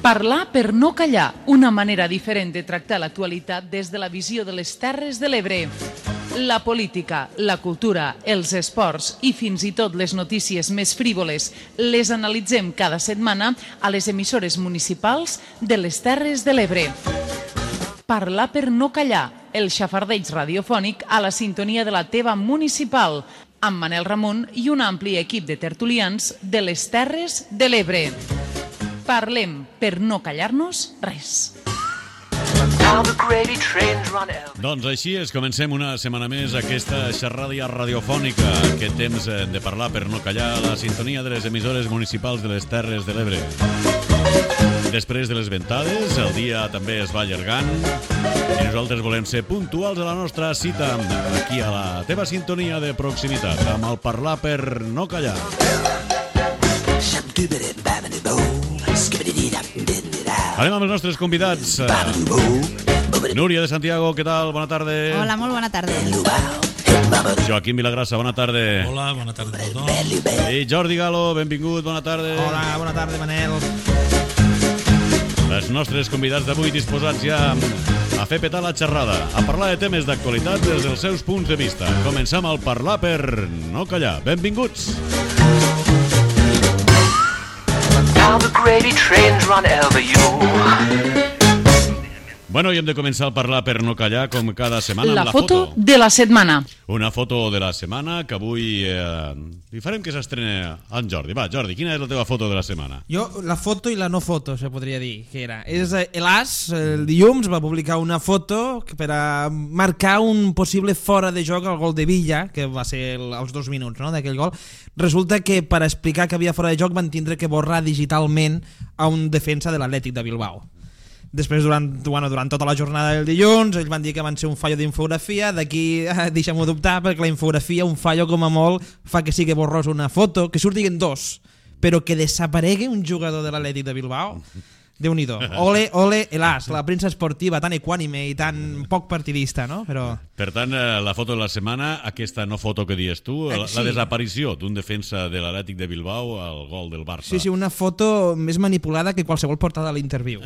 Parlar per no callar, una manera diferent de tractar l'actualitat des de la visió de les Terres de l'Ebre. La política, la cultura, els esports i fins i tot les notícies més frívoles les analitzem cada setmana a les emissores municipals de les Terres de l'Ebre. Parlar per no callar, el xafardeig radiofònic a la sintonia de la teva municipal, amb Manel Ramon i un ampli equip de tertulians de les Terres de l'Ebre. Parlem per no callar-nos res. Doncs així és, comencem una setmana més aquesta xerrada radiofònica, aquest temps de parlar per no callar, la sintonia de les emissores municipals de les Terres de l'Ebre. Després de les ventades, el dia també es va allargant i nosaltres volem ser puntuals a la nostra cita aquí a la teva sintonia de proximitat, amb el parlar per no callar. Anem amb els nostres convidats. Núria de Santiago, què tal? Bona tarda. Hola, molt bona tarda. Joaquim Vilagrassa, bona tarda. Hola, bona tarda a tothom. I Jordi Galo, benvingut, bona tarda. Hola, bona tarda, Manel. Els nostres convidats d'avui disposats ja a fer petar la xerrada, a parlar de temes d'actualitat des dels seus punts de vista. Comencem al parlar per no callar. Benvinguts. Now the gravy trains run over you. Bueno, i hem de començar a parlar per no callar, com cada setmana, La amb la foto foto. de la setmana. Una foto de la setmana que avui li farem que s'estrena en Jordi. Va, Jordi, quina és la teva foto de la setmana? Jo, la foto i la no foto, se podria dir que era. És l'As, el dilluns, va publicar una foto per a marcar un possible fora de joc al gol de Villa, que va ser als 2 minuts, no?, d'aquell gol. Resulta que per explicar que havia fora de joc van tindre que borrar digitalment a un defensa de l'Atlètic de Bilbao. Després, durant tota la jornada del dilluns, ells van dir que van ser un fallo d'infografia. D'aquí deixem-ho dubtar, perquè la infografia, un fallo com a molt, fa que sigui borrós una foto, que surtin 2, però que desaparegui un jugador de l'Atlètic de Bilbao. Déu-n'hi-do. Ole, ole, l'As, la premsa esportiva tan equànime i tan poc partidista, no? Però... Per tant, la foto de la setmana, aquesta no foto que dius tu, la desaparició d'un defensa de l'Atlètic de Bilbao al gol del Barça. Sí, una foto més manipulada que qualsevol portada a l'interviu.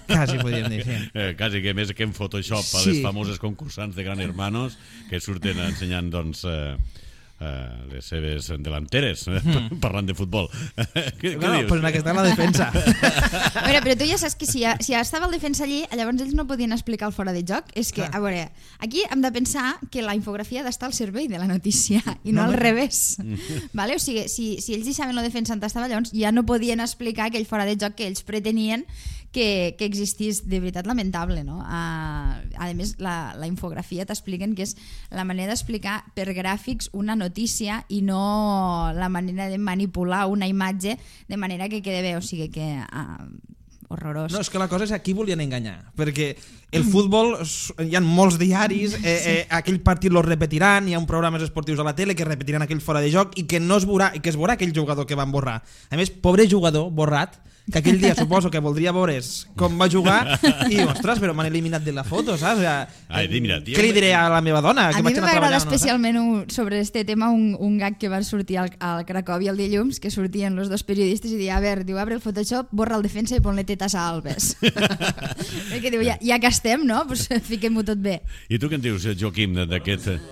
Quasi, podríem dir, sí. Quasi que més que en Photoshop a les famoses concursants de Gran Hermanos que surten ensenyant, doncs, les seves delanteres, parlant de futbol. Què dius? Pues aquesta és la defensa. A veure, però tu ja saps que si ja estava el defensa allí, llavors ells no podien explicar el fora de joc. És que, a veure, aquí hem de pensar que la infografia ha d'estar al servei de la notícia i no al revés. Vale? O sigui, si ells deixaven la defensa on estava, llavors ja no podien explicar aquell fora de joc que ells pretenien que existís. De veritat lamentable, no? A més, la infografia t'expliquen que és la manera d'explicar per gràfics una notícia i no la manera de manipular una imatge de manera que quede bé, o sigui que horrorós. No, és que la cosa és aquí volien enganyar, perquè el futbol, hi ha molts diaris, aquell partit lo repetiran, hi ha programes esportius a la tele que repetiran aquell fora de joc i que no es veurà, i que es veurà aquell jugador que van borrar. A més, pobre jugador borrat, que aquell dia suposo que voldria veure com va jugar i, ostres, però m'han eliminat de la foto, saps? Què li diré a la meva dona? A mi m'agrada especialment sobre este tema un gag que va sortir al Cracòvia el dilluns, que sortien els 2 periodistes i deia, a veure, diu, abre el Photoshop, borra el defensa i pon-le tetes a Alves. Perquè diu, ja que estem, no? Pues fiquem-ho tot bé. I tu què en dius, Joaquim, d'aquest...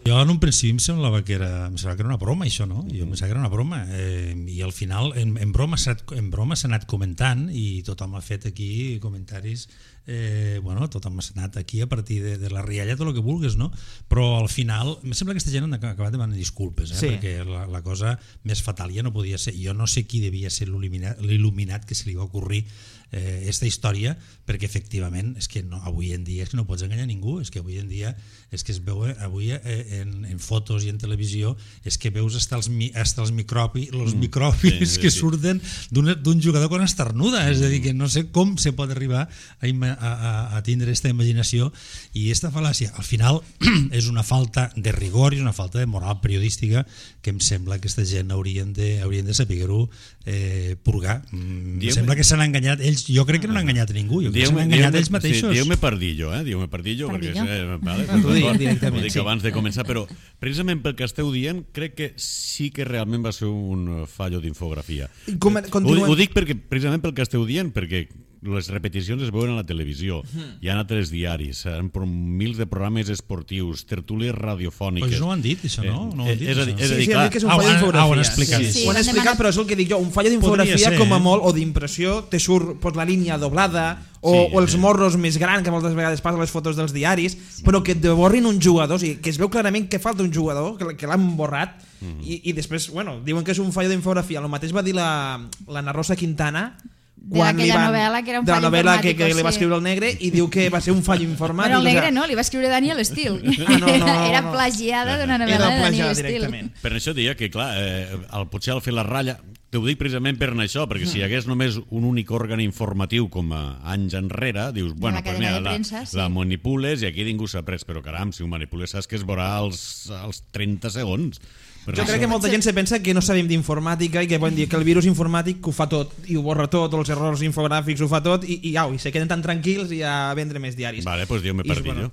Jo en un principi em semblava que era una broma, això, no? Jo em semblava que era una broma, i al final en broma s'ha anat comentant i tothom ha fet aquí comentaris, tothom ha anat aquí a partir de la rialla, tot el que vulguis, no? Però al final em sembla que aquesta gent han acabat demanant disculpes, perquè la cosa més fatal ja no podia ser. Jo no sé qui devia ser l'il·luminat que se li va ocorrir esta història, perquè efectivament és que avui en dia és que no pots enganyar ningú, és que avui en dia és que es veu avui en fotos i en televisió, és que veus hasta els microbis que surten d'un jugador quan estornuda, és a dir, que no sé com se pot arribar a tindre aquesta imaginació i aquesta fal·làcia. Al final és una falta de rigor i una falta de moral periodística que em sembla que aquesta gent haurien de saber-ho purgar. Em sembla que s'han enganyat ells. Jo crec que no han enganyat a ningú. Jo crec que s'han enganyat ells mateixos. Dieu-me pardillo, dieu-me pardillo, perquè ho dic abans de començar, però precisament pel que esteu dient, crec que sí que realment va ser un fallo d'infografia. Ho dic precisament pel que esteu dient, perquè les repeticions es veuen a la televisió, hi ha altres diaris, mils de programes esportius, tertúlies radiofòniques. Pues no ho han dit, això, no? No ho han dit, és a dir, sí, han dit que és un fallo d'infografia. Ho han explicat. Ho han explicat, però és el que dic jo, un fallo d'infografia com a molt, o d'impressió, te surt la línia doblada, o els morros més grans, que moltes vegades passa a les fotos dels diaris, però que et borrin un jugador, o sigui, que es veu clarament que falta un jugador, que l'han borrat, i després, bueno, diuen que és un fallo d'infografia. El mateix va dir la Rosa Quintana, d'aquella novel·la que era un fallo informàtic, que li va escriure el Negre, i diu que va ser un fallo informàtic. Però el Negre no, li va escriure Daniel Steele. Era plagiada d'una novel·la de Daniel Steele. Per això deia que, clar, potser al fer la ratlla, t'ho dic precisament per això, perquè si hi hagués només un únic òrgan informatiu com anys enrere, dius, bueno, pues mira, la manipules i aquí ningú s'ha pres, però caram, si ho manipules saps que es veurà als 30 segons. Jo crec que molta gent se pensa que no sabem d'informàtica i que poden dir que el virus informàtic ho fa tot i ho borra tot, els errors infogràfics ho fa tot i se queden tan tranquils i a vendre més diaris. Vale, pues diu-me pardillo.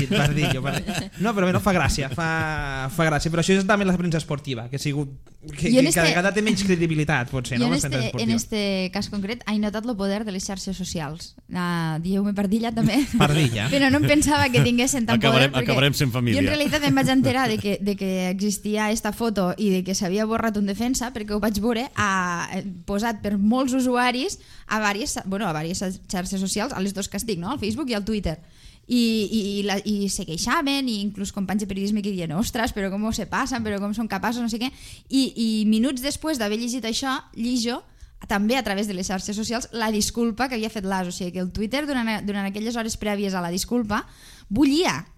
Pardillo. No, però no, fa gràcia, fa gràcia, però això és també la premsa esportiva, que cada vegada té menys credibilitat, potser, no? En este cas concret he notat el poder de les xarxes socials. Dieu-me pardilla també. Pardilla. Però no em pensava que tinguessin tant poder. Acabarem sent família. Jo en realitat em vaig enterar de que existia esta foto i de que s'havia borrat un defensa perquè ho vaig veure posat per molts usuaris a diverses xarxes socials, a les dos que estic, no? Al Facebook i al Twitter. I se queixaven, i inclús companys de periodisme que diuen, ostres, però com se passen, però com són capaços, no sé què, i minuts després d'haver llegit això, llijo també a través de les xarxes socials la disculpa que havia fet l'AS, o sigui que el Twitter durant aquelles hores prèvies a la disculpa bullia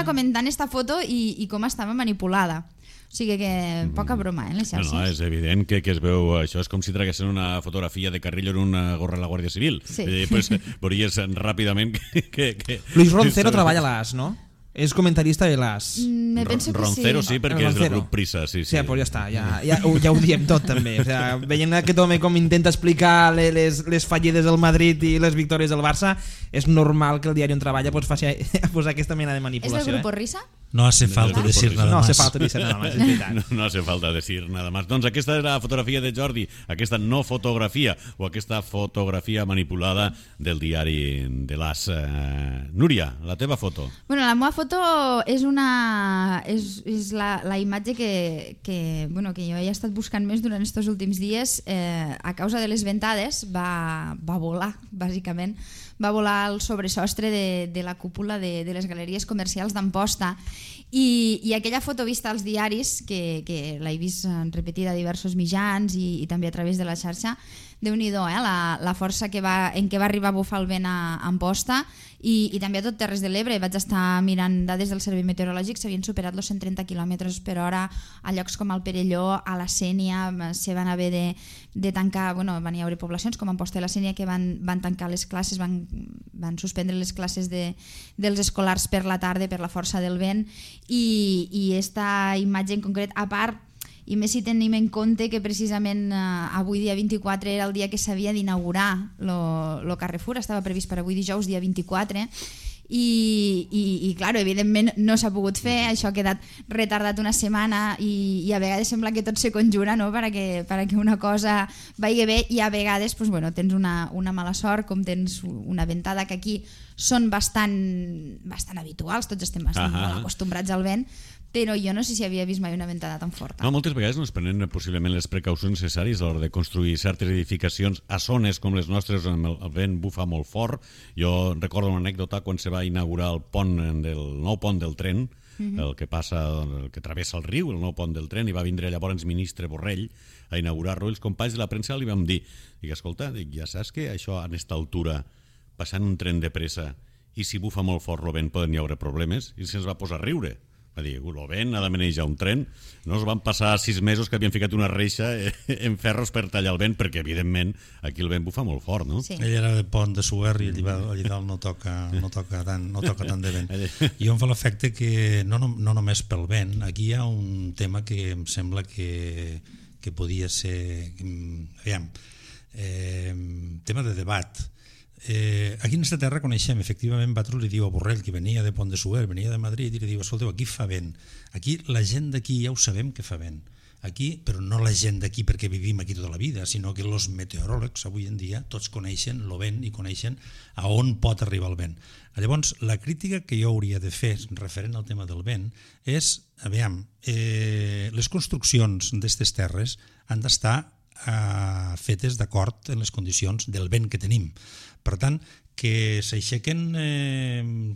comentant esta foto i com estava manipulada. O sigui que poca broma, les xarxes. No, és evident que es veu això, és com si traguessin una fotografia de Carrillo en una gorra de la Guàrdia Civil. Sí. Pues veuries ràpidament que... Luis Roncero treballa a l'AS, no? És comentarista de l'AS. Me penso que Roncero sí, perquè és del grup Prisa. Sí, pues ja està, ja ho diem tot també. O sea, veient aquest home com intenta explicar les fallides del Madrid i les victòries del Barça, és normal que el diari on treballa faci posar aquesta mena de manipulació. És del grup Risa? No hace falta decir nada más. No hace falta decir nada más, és veritat. No hace falta decir nada más. Doncs aquesta és la fotografia de Jordi, aquesta no fotografia o aquesta fotografia manipulada del diari de l'AS. Núria, la teva foto. Bueno, la meva foto és la imatge que jo he estat buscant més durant aquests últims dies. A causa de les ventades va volar, bàsicament. Va volar al sobresostre de la cúpula de les galeries comercials d'Amposta i aquella foto vista als diaris, que l'he vist repetida a diversos mitjans i també a través de la xarxa, Déu-n'hi-do, la força en què va arribar a bufar el vent a Amposta i també a tot Terres de l'Ebre. Vaig estar mirant dades del Servei Meteorològic, s'havien superat els 130 km per hora a llocs com el Perelló, a la Sénia, se van haver de tancar, van haver poblacions com Amposta i la Sénia que van tancar les classes, van suspendre les classes dels escolars per la tarda per la força del vent i esta imatge en concret, a part, i més si tenim en compte que precisament avui dia 24 era el dia que s'havia d'inaugurar el Carrefour, estava previst per avui dijous dia 24 i clar, evidentment no s'ha pogut fer, això ha quedat retardat una setmana i a vegades sembla que tot se conjura, no? perquè una cosa vagi bé i a vegades tens una mala sort, com tens una ventada que aquí són bastant habituals, tots estem bastant molt acostumbrats al vent, però jo no sé si havia vist mai una ventada tan forta. No, moltes vegades no es prenen possiblement les precaucions necessàries a l'hora de construir certes edificacions a zones com les nostres on el vent bufa molt fort. Jo recordo una anècdota quan se va inaugurar el nou pont del tren, el que travessa el riu, el nou pont del tren, i va vindre llavors ministre Borrell a inaugurar-lo. Els companys de la premsa li vam dir, escolta, ja saps que això a aquesta altura, passant un tren de pressa, i si bufa molt fort el vent poden hi haure problemes, i se'ns va posar a riure. Va dir, el vent ha de manejar un tren. No es van passar 6 mesos que havien ficat una reixa en ferros per tallar el vent, perquè evidentment aquí el vent bufa molt fort, no? Sí. Ell era de Pont de Suert i allà dalt no toca tant de vent. I em fa l'efecte que no només pel vent, aquí hi ha un tema que em sembla que que podia ser aviam, tema de debat. Aquí en aquesta terra coneixem, efectivament, Batros li diu a Borrell, que venia de Pont de Suert, venia de Madrid, i li diu, escolteu, aquí fa vent. Aquí la gent d'aquí ja ho sabem que fa vent. Aquí, però no la gent d'aquí perquè vivim aquí tota la vida, sinó que els meteoròlegs avui en dia tots coneixen el vent i coneixen a on pot arribar el vent. Llavors, la crítica que jo hauria de fer referent al tema del vent és, aviam, les construccions d'aquestes terres han d'estar fetes d'acord en les condicions del vent que tenim. Per tant, que s'aixequen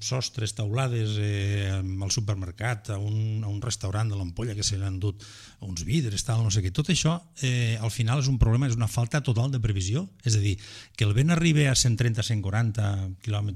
sostres, taulades al supermercat, a un restaurant de l'Ampolla que se l'han dut uns vidres, tal, no sé què. Tot això al final és un problema, és una falta total de previsió. És a dir, que el vent arribi a 130-140 km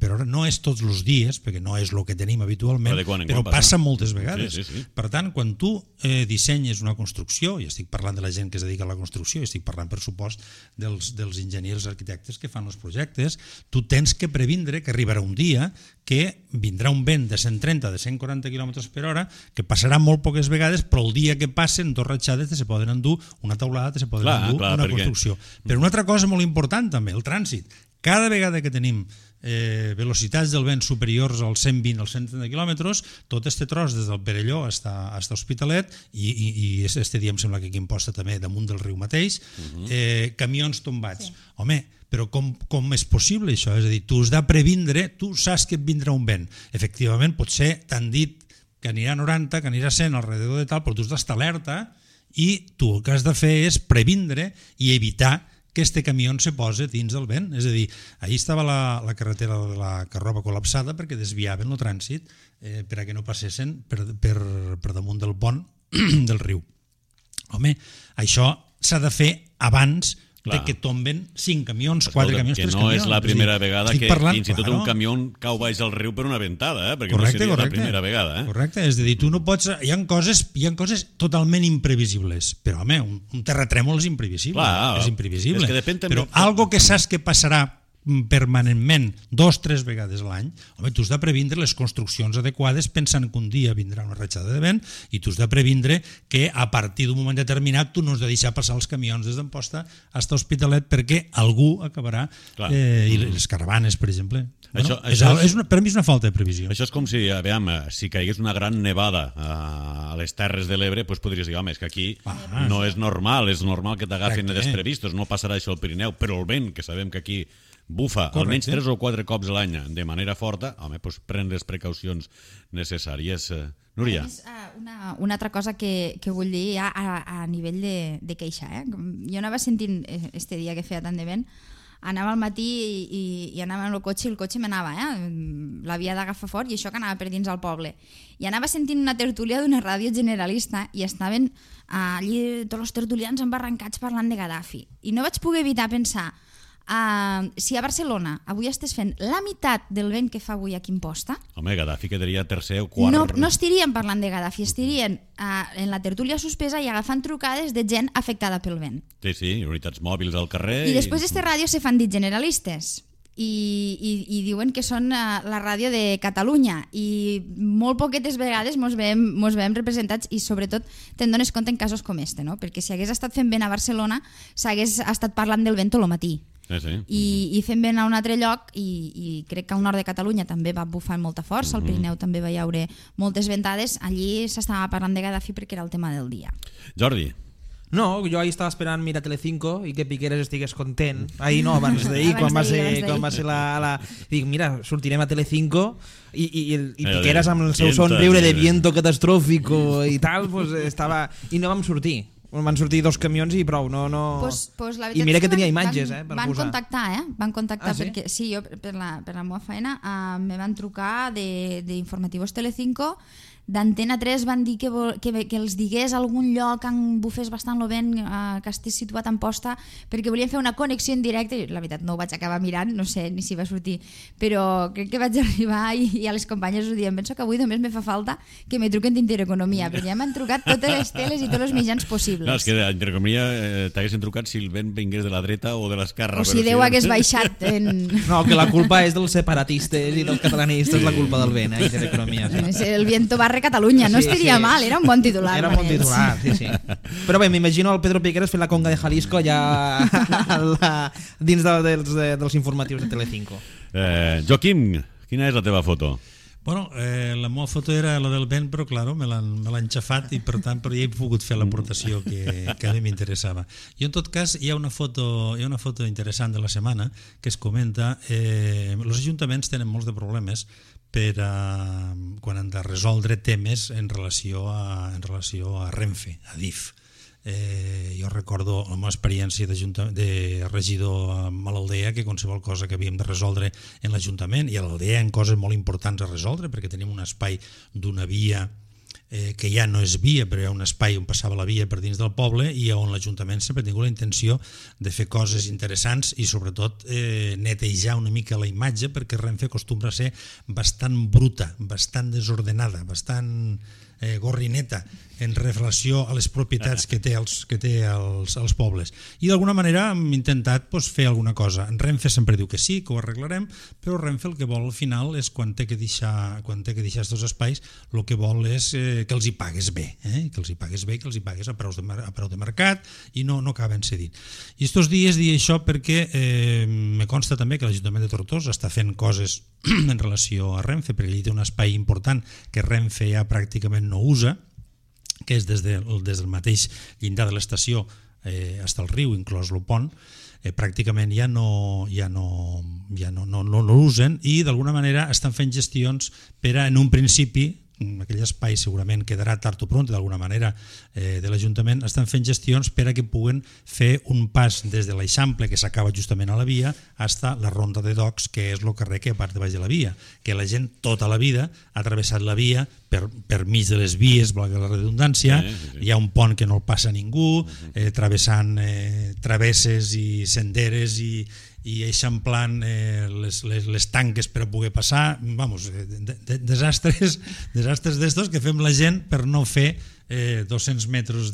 per hora no és tots els dies, perquè no és el que tenim habitualment, però passa moltes vegades. Sí. Per tant, quan tu dissenyes una construcció, i estic parlant de la gent que es dedica a la construcció, i estic parlant, per supost, dels enginyers arquitectes que fan els projectes, tu tens que previndre que arribarà un dia que vindrà un vent de 130, de 140 km per hora, que passarà molt poques vegades, però el dia que passen dos ratxades se poden endur una taulada, se poden endur una construcció. Però una altra cosa molt important també, el trànsit. Cada vegada que tenim velocitats del vent superiors als 120 als 130 quilòmetres, tot este tros des del Perelló fins a Hospitalet, i este dia em sembla que aquí em posta també damunt del riu mateix, camions tombats. Home, però com és possible això? És a dir, tu has de previndre, tu saps que et vindrà un vent. Efectivament, potser t'han dit que anirà a 90, que anirà a 100 alrededor de tal, però tu has d'estar alerta i tu el que has de fer és previndre i evitar que este camió se posa dins del vent. És a dir, ahir estava la carretera de la Carroba col·lapsada perquè desviaven el trànsit per a que no passessin per damunt del pont del riu. Home, això s'ha de fer abans de que tomben 5 camions, 4 camions, 3 camions. Que no és la primera vegada que fins i tot un camió cau baix al riu per una ventada, perquè no seria la primera vegada. Correcte, és a dir, tu no pots... Hi ha coses totalment imprevisibles, però home, un terratrèmol és imprevisible, és imprevisible. Però algo que saps que passarà permanentment 2-3 vegades l'any, home, tu has de previndre les construccions adequades pensant que un dia vindrà una ratxada de vent i tu has de previndre que a partir d'un moment determinat tu no has de deixar passar els camions des d'Amposta fins a Hospitalet perquè algú acabarà i les caravanes, per exemple. Per mi és una falta de previsió. Això és com si caigués una gran nevada a les Terres de l'Ebre, doncs podries dir, home, és que aquí no és normal, és normal que t'agafin desprevistos, no passarà això al Pirineu, però el vent, que sabem que aquí bufa almenys 3 o 4 cops a l'any de manera forta, home, doncs pren les precaucions necessàries. Núria. Una altra cosa que vull dir ja a nivell de queixa. Jo anava sentint este dia que feia tant de vent, anava al matí i anava en el cotxe i el cotxe m'anava, l'havia d'agafar fort i això que anava per dins al poble. I anava sentint una tertúlia d'una ràdio generalista i estaven allí tots els tertulians embarrancats parlant de Gaddafi. I no vaig poder evitar pensar si a Barcelona avui estàs fent la meitat del vent que fa avui aquí a Amposta... Home, Gaddafi quedaria tercer o quart... No estaríem parlant de Gaddafi, estarien en la tertúlia suspesa i agafant trucades de gent afectada pel vent. Sí, unitats mòbils al carrer... I després d'esta ràdio se fan dit generalistes i diuen que són la ràdio de Catalunya i molt poquetes vegades mos veiem representats i sobretot te'n dones compte en casos com este, no? Perquè si hagués estat fent vent a Barcelona s'hagués estat parlant del vent tot el matí. I fent vent a un altre lloc i crec que al nord de Catalunya també va bufar amb molta força, al Pirineu també va hi haure moltes ventades, allí s'estava parlant de Gaddafi perquè era el tema del dia. Jordi. No, jo ahir estava esperant mirar Telecinco i que Piqueras estigués content. Ahir no, abans d'ahir, quan va ser la... Dic, mira, sortirem a Telecinco i Piqueras amb el seu somriure de viento catastròfico i tal, pues estava... I no vam sortir. Van sortir 2 camions i prou, no... I mira que tenia imatges, per posar. Van contactar, perquè sí, jo per la meva feina me van trucar d'informativos Telecinco, d'Antena 3 van dir que els digués algun lloc on bufés bastant el vent, que estigués situat en Amposta, perquè volien fer una connexió en directe. La veritat no ho vaig acabar mirant, no sé ni si va sortir, però crec que vaig arribar i a les companyes us diem, penso que avui només me fa falta que me truquen d'Intereconomia, perquè ja m'han trucat totes les teles i tots els mitjans possibles. No, és que a Intereconomia t'haguessin trucat si el vent vingués de la dreta o de l'esquerra. O si Déu hagués baixat en... No, que la culpa és dels separatistes i dels catalanistes, la culpa del vent, Intereconomia. El viento barre de Catalunya, no estiria mal, era un bon titular. Era un bon titular, sí. Però bé, m'imagino el Pedro Piqueras fent la conga de Jalisco allà dins dels informatius de Telecinco. Joaquim, quina és la teva foto? Bueno, la meva foto era la del vent, però claro, me l'han xafat i per tant però ja he pogut fer l'aportació que a mi m'interessava. I en tot cas hi ha una foto interessant de la setmana que es comenta els ajuntaments tenen molts de problemes quan han de resoldre temes en relació a Renfe, a DIF. Jo recordo la meva experiència de regidor a l'Aldea, que qualsevol cosa que havíem de resoldre en l'Ajuntament, i a l'Aldea hi ha coses molt importants a resoldre perquè tenim un espai d'una via que ja no és via, però hi ha un espai on passava la via per dins del poble i on l'Ajuntament sempre ha tingut la intenció de fer coses interessants i sobretot netejar una mica la imatge, perquè Renfe acostumbra a ser bastant bruta, bastant desordenada, bastant gorrineta en relació a les propietats que té els pobles. I d'alguna manera hem intentat fer alguna cosa. En Renfe sempre diu que sí, que ho arreglarem, però Renfe el que vol al final és quan té que deixar aquests espais, el que vol és que els hi pagues bé, que els hi pagues a preu de mercat i no acaben cedint. I estos dies dic això perquè me consta també que l'Ajuntament de Tortosa està fent coses en relació a Renfe, perquè allí té un espai important que Renfe ja pràcticament no usa, que és des del mateix llindar de l'estació fins al riu, inclòs el pont, pràcticament ja no l'usen i d'alguna manera estan fent gestions per a, en un principi, aquell espai segurament quedarà tard o pront d'alguna manera de l'Ajuntament, estan fent gestions per a que puguen fer un pas des de l'Eixample, que s'acaba justament a la via, fins a la Ronda de Docs, que és el carrer que part de baix de la via, que la gent tota la vida ha travessat la via per mig de les vies, valgui la redundància, hi ha un pont que no el passa ningú, travessant travesses i senderes i eixamplant les tanques per a poder passar, desastres d'estos que fem la gent per no fer 200 metres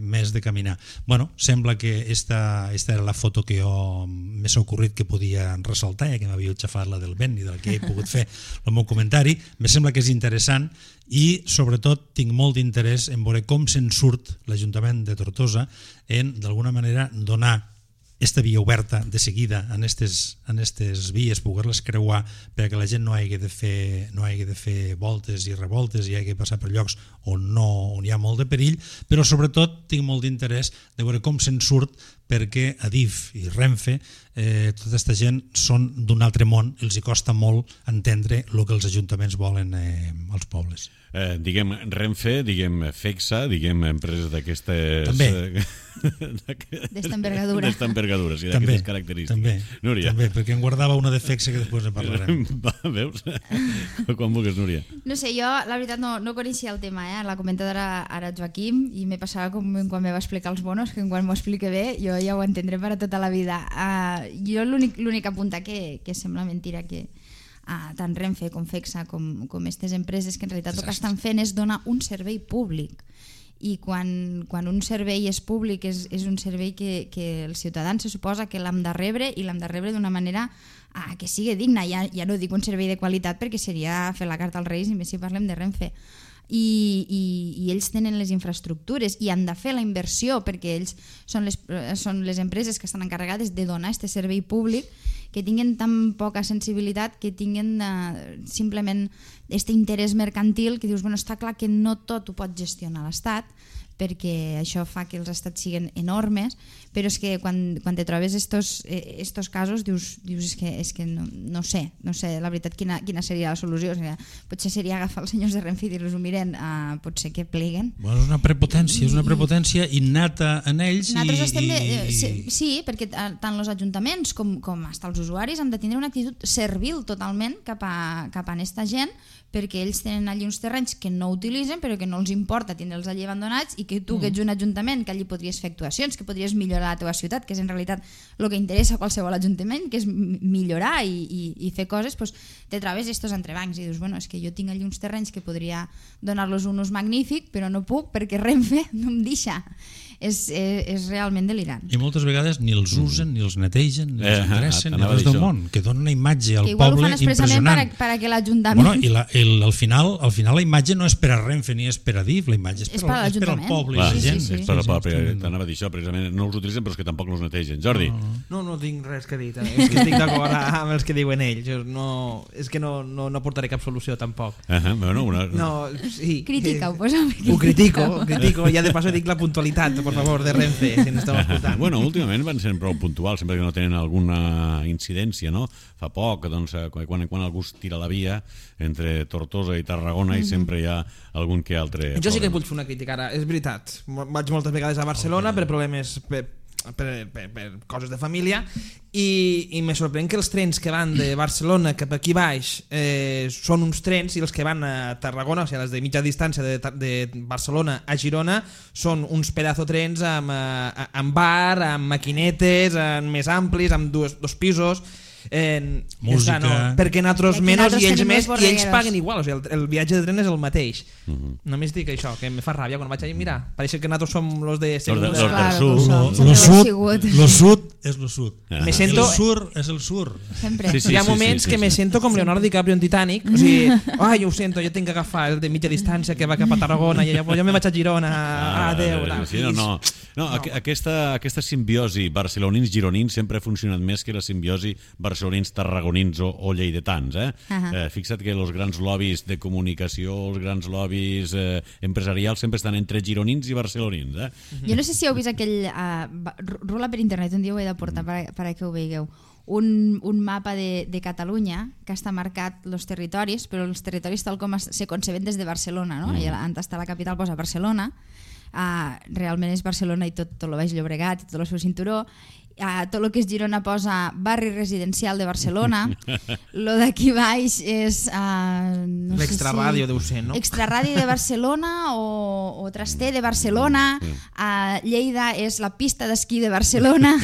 més de caminar. Bueno, sembla que esta era la foto que jo m'he ocorrit que podia ressaltar, ja que m'havia xafat la del vent i del que he pogut fer el meu comentari. Me sembla que és interessant i sobretot tinc molt d'interès en veure com se'n surt l'Ajuntament de Tortosa en d'alguna manera donar esta via oberta de seguida en aquestes vies, poder-les creuar perquè la gent no hagi de fer voltes i revoltes i hagi de passar per llocs on hi ha molt de perill, però sobretot tinc molt d'interès de veure com se'n surt perquè Adif i Renfe, tota aquesta gent són d'un altre món, els hi costa molt entendre el que els ajuntaments volen als pobles. Diguem Renfe, diguem FEXA, diguem empreses d'aquestes... També. D'esta envergadura. D'esta envergadura, sí, d'aquestes característiques. També, Núria. també, perquè em guardava una de FEXA que després en parlarem. Veus? Quan vulguis, Núria. No sé, jo la veritat no coneixia el tema, l'ha comentat ara Joaquim i me passava com quan me va explicar els bonos, que quan m'ho explique bé jo ja ho entendré per a tota la vida. Jo l'únic apuntar que sembla mentira que tant Renfe com FEXA com aquestes empreses que en realitat el que estan fent és donar un servei públic i quan un servei és públic és un servei que el ciutadà se suposa que l'hem de rebre i l'hem de rebre d'una manera que sigui digna. Ja no dic un servei de qualitat perquè seria fer la carta als Reis i més si parlem de Renfe. I ells tenen les infraestructures i han de fer la inversió perquè ells són les empreses que estan encarregades de donar aquest servei públic, que tinguen tan poca sensibilitat, que tinguen simplement aquest interès mercantil que dius, bueno, està clar que no tot ho pot gestionar l'Estat perquè això fa que els estats siguin enormes, però és que quan te trobes estos casos dius és que no sé la veritat quina seria la solució. O sigui, potser seria agafar els senyors de Renfe i dir-los miren, potser que pleguen. Bueno, és una prepotència innata en ells. Sí, perquè tant els ajuntaments com fins als usuaris han de tindre una actitud servil totalment cap a aquesta gent, perquè ells tenen allí uns terrenys que no utilitzen però que no els importa tindre'ls allí abandonats i que tu que ets un ajuntament que allí podries fer actuacions, que podries millorar la teva ciutat, que és en realitat el que interessa a qualsevol ajuntament, que és millorar i fer coses, doncs te trobes estos entrebancs i dius, bueno, és que jo tinc allí uns terrenys que podria donar-los un ús magnífic però no puc perquè Renfe no em deixa. és realment delirant. I moltes vegades ni els usen, ni els netegen, ni els ingressen, ni res del això. món, que donen una imatge al Que igual ho poble fan expressament impressionant. perquè l'Ajuntament... Bueno, i al final la imatge no és per a Renfe ni és per a DIF, la imatge és per al poble i la gent. És per al poble, t'anava a dir això, precisament no els utilitzen però és que tampoc els netegen. Jordi? No tinc res que dir, és que estic d'acord amb els que diuen ells, és que no portaré cap solució tampoc. Sí. Critica-ho, posa-ho. Ho critico, ja de passo dic la puntualitat, per favor, de Renfe, si ens esteu escoltant. Bueno, últimament van ser prou puntuals, sempre que no tenen alguna incidència, no? Fa poc, doncs, quan algú es tira la via entre Tortosa i Tarragona i sempre hi ha algun que altre... Jo sí que vull fer una crítica ara, és veritat. Vaig moltes vegades a Barcelona per problemes... per coses de família i me sorprèn que els trens que van de Barcelona cap aquí baix són uns trens i els que van a Tarragona, o sigui, les de mitja distància de Barcelona a Girona són uns pedazo trens amb bar, amb maquinetes, més amplis, amb dos pisos, música, perquè nosaltres menys i ells més i ells paguen borregueros. igual, o sigui, el viatge de tren és el mateix. Només dic això, que me fa ràbia quan vaig allà, mira, pareix que nosaltres som los de segunda. Lo sud és lo sud. Me siento... El sur és el sur. Sempre. Hi ha moments que me siento com Leonardo DiCaprio en Titanic, o sigui, jo ho sento, jo tinc que agafar el de mitja distància que va cap a Tarragona i jo me vaig a Girona, adeu. Aquesta simbiosi barcelonins-gironins sempre ha funcionat més que la simbiosi barcelonins, tarragonins o lleidatans. Fixa't que els grans lobbies de comunicació, els grans lobbies empresarials sempre estan entre gironins i barcelonins. Jo no sé si heu vist aquell... rula per internet, un dia ho he de portar perquè ho veieu. Un mapa de Catalunya que està marcat els territoris, però els territoris tal com se conceben des de Barcelona, no? I on està la capital posa Barcelona, realment és Barcelona i tot el Baix Llobregat i tot el seu cinturó. Tot el que és Girona posa barri residencial de Barcelona, lo d'aquí baix és l'extraràdio deu ser, no? Extraràdio de Barcelona o Traster de Barcelona, Lleida és la pista d'esquí de Barcelona.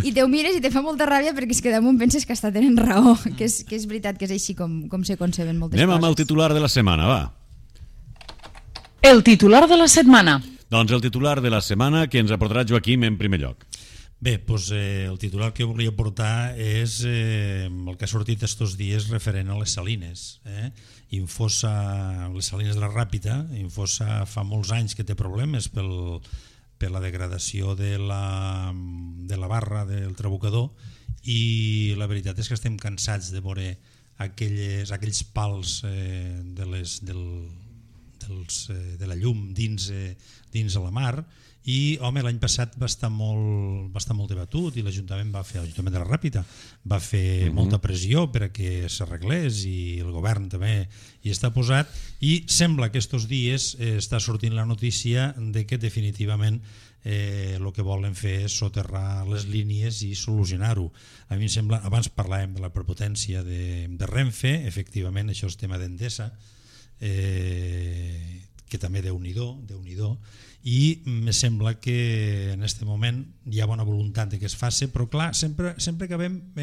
I te ho mires i te fa molta ràbia perquè és que damunt penses que tenen raó, que és veritat que és així com se conceben moltes coses. Anem amb el titular de la setmana, va. El titular de la setmana. Doncs el titular de la setmana que ens aportarà Joaquim en primer lloc. Bé, doncs el titular que volia portar és el que ha sortit estos dies referent a les salines. Infosa, les salines de la Ràpita, Infosa fa molts anys que té problemes per la degradació de la barra del trabucador i la veritat és que estem cansats de veure aquells pals de la llum dins a la mar i l'any passat va estar molt debatut i l'Ajuntament de la Ràpita va fer molta pressió per a que s'arreglés i el govern també hi està posat i sembla que estos dies està sortint la notícia de que definitivament el que volen fer és soterrar les línies i solucionar-ho. A mi em sembla, abans parlàvem de la prepotència de Renfe, efectivament això és tema d'Endesa, que també Déu-n'hi-do, i me sembla que en aquest moment hi ha bona voluntat de que es faci, però clar, sempre acabem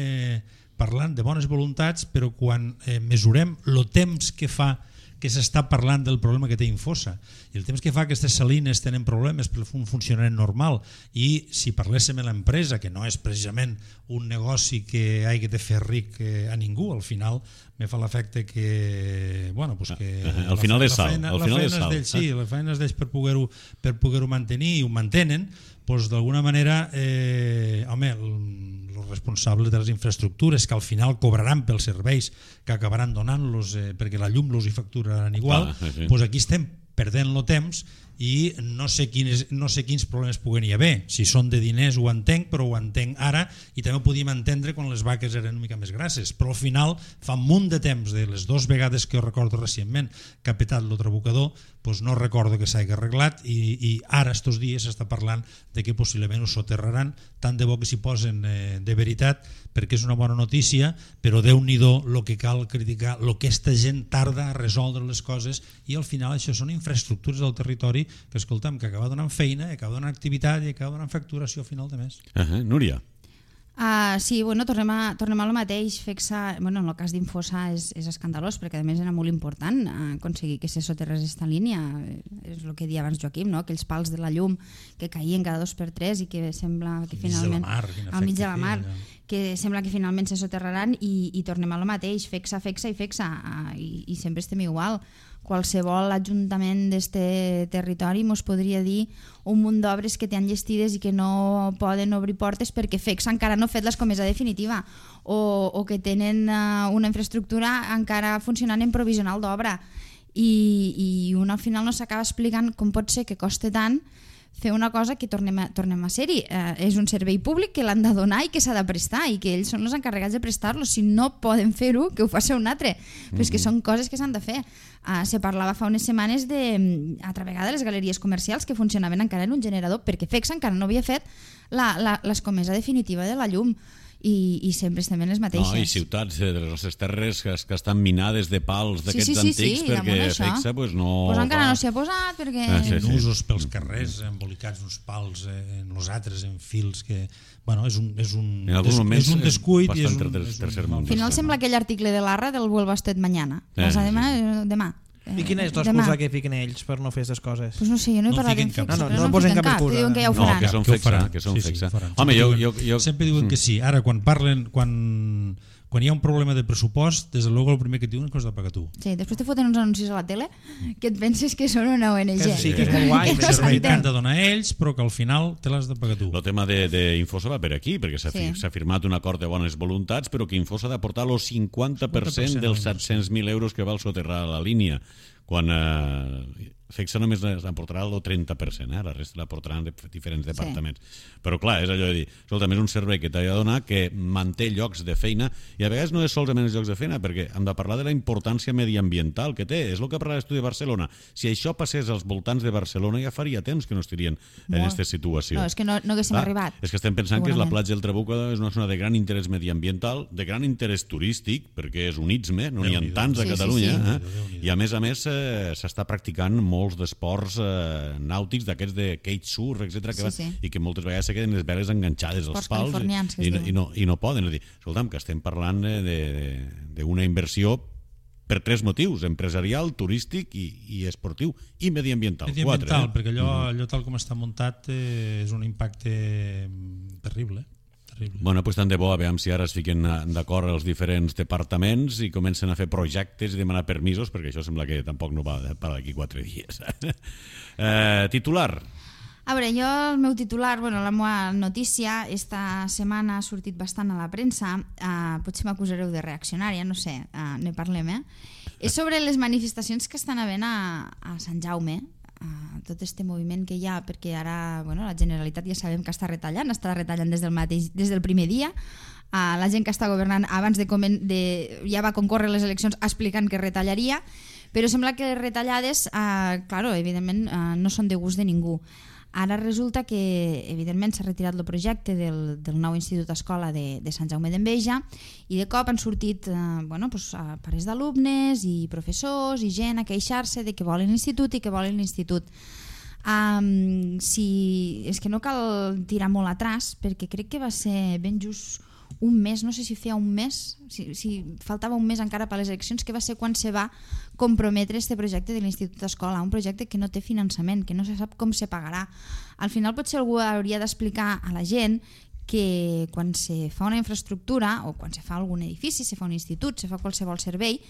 parlant de bones voluntats, però quan mesurem el temps que fa que s'està parlant del problema que té Infosa i el temps que fa que aquestes salines tenen problemes per un funcionament normal i si parléssim de l'empresa, que no és precisament un negoci que hagi de fer ric a ningú, al final me fa l'efecte que al final és sal, la feina és d'ells per poder-ho mantenir i ho mantenen, doncs d'alguna manera els responsables de les infraestructures que al final cobraran pels serveis que acabaran donant-los perquè la llum los hi facturaran igual, doncs aquí estem perdent el temps i no sé quins problemes puguen hi haver. Si són de diners ho entenc, però ho entenc ara i també ho podíem entendre quan les vaques eren una mica més grasses, però al final fa un munt de temps, de les 2 vegades que jo recordo recentment que ha petat el trabucador, doncs no recordo que s'hagi arreglat i ara estos dies s'està parlant de que possiblement ho soterraran, tant de bo que s'hi posen de veritat, perquè és una bona notícia, però Déu-n'hi-do el que cal criticar, el que aquesta gent tarda a resoldre les coses i al final això són infraestructures del territori que escolta'm, que acaba donant feina, acaba donant activitat i acaba donant facturació a final de mes. Núria. Sí, bueno, tornem a lo mateix. En el cas d'Infosa és escandalós, perquè a més era molt important aconseguir que se soterrés aquesta línia. És el que deia abans Joaquim, no? Aquells pals de la llum que caïen cada 2x3 i que sembla que finalment al mig de la mar, que sembla que finalment se soterraran, i tornem a lo mateix, fexa i sempre estem igual. Qualsevol ajuntament d'este territori mos podria dir un munt d'obres que té enllestides i que no poden obrir portes perquè FECSA encara no ha fet l'escomesa definitiva o que tenen una infraestructura encara funcionant en provisional d'obra, i un al final no s'acaba explicant com pot ser que costa tant fer una cosa que tornem a ser-hi. És un servei públic que l'han de donar i que s'ha de prestar, i que ells són els encarregats de prestar-lo. Si no poden fer-ho, que ho faci un altre. Però és que són coses que s'han de fer. Se parlava fa unes setmanes altra vegada de les galeries comercials que funcionaven encara en un generador, perquè FECSA encara no havia fet l'escomesa definitiva de la llum. I sempre estem en les mateixes. I ciutats de les nostres terres que estan minades de pals d'aquests antics, perquè FECSA no... encara no s'hi ha posat, perquè... Usos pels carrers, embolicats uns pals en els altres, en fils, que... és un descuit i és un... Al final sembla aquell article de l'Arra del Vuelva usted mañana. Demà. I quina és l'excusa que fiquen ells per no fer aquestes coses? Pues no sé, jo no he parlat en FECSA. No posen cap excusa. Diuen que ja ho faran. No, que són FECSA. Home, jo... Sempre diuen que sí. Ara, quan parlen... Quan hi ha un problema de pressupost, des de luego el primer que et diuen és que has de pagar tu. Sí, després te foten uns anuncis a la tele que et penses que són una ONG. Sí, que és molt guai. El servei que han de donar ells, però que al final te l'has de pagar tu. El tema d'Infosa va per aquí, perquè s'ha firmat un acord de bones voluntats, però que Infosa ha d'aportar el 50% dels 700.000 euros que val soterrar la línia, quan FECSA només aportarà el 30%, la resta l'aportaran diferents departaments. Però clar, és allò de dir, escolta'm, és un servei que t'ha de donar, que manté llocs de feina, i a vegades no és solament els llocs de feina, perquè hem de parlar de la importància mediambiental que té. És el que parla l'estudi de Barcelona. Si això passés als voltants de Barcelona, ja faria temps que no estirien en aquesta situació. No, és que no haguéssim arribat. És que estem pensant que la platja del Trabuc és una zona de gran interès mediambiental, de gran interès turístic, perquè és un istme, no n'hi ha tants a Catalunya, i a més s'està practicant molts d'esports nàutics, d'aquests de cage surf, etc., i que moltes vegades se queden les veles enganxades als pals i no poden. És a dir, escolta'm, que estem parlant d'una inversió per 3 motius: empresarial, turístic i esportiu, i mediambiental. Mediambiental, perquè allò tal com està muntat és un impacte terrible. Bueno, doncs tant de bo, a veure si ara es fiquen d'acord els diferents departaments i comencen a fer projectes i demanar permisos, perquè això sembla que tampoc no va per d'aquí 4 dies. Titular. A veure, jo el meu titular, la meva notícia, esta setmana ha sortit bastant a la premsa, potser m'acusareu de reaccionària, no sé, ne parlem, és sobre les manifestacions que estan havent a Sant Jaume, tot este moviment que hi ha, perquè ara la Generalitat ja sabem que està retallant des del primer dia. La gent que està governant abans ja va concórrer les eleccions explicant que retallaria, però sembla que les retallades, evidentment, no són de gust de ningú. Ara resulta que, evidentment, s'ha retirat el projecte del nou Institut Escola de Sant Jaume d'Enveja, i de cop han sortit pares d'alumnes i professors i gent a queixar-se de que volen l'institut i que volen l'institut. És que no cal tirar molt atrás, perquè crec que va ser ben just un mes, no sé si feia un mes, si faltava un mes encara per a les eleccions, que va ser quan se va comprometre este projecte de l'Institut Escola, un projecte que no té finançament, que no se sap com se pagarà. Al final potser algú hauria d'explicar a la gent que quan se fa una infraestructura o quan se fa algun edifici, se fa un institut, se fa qualsevol servei,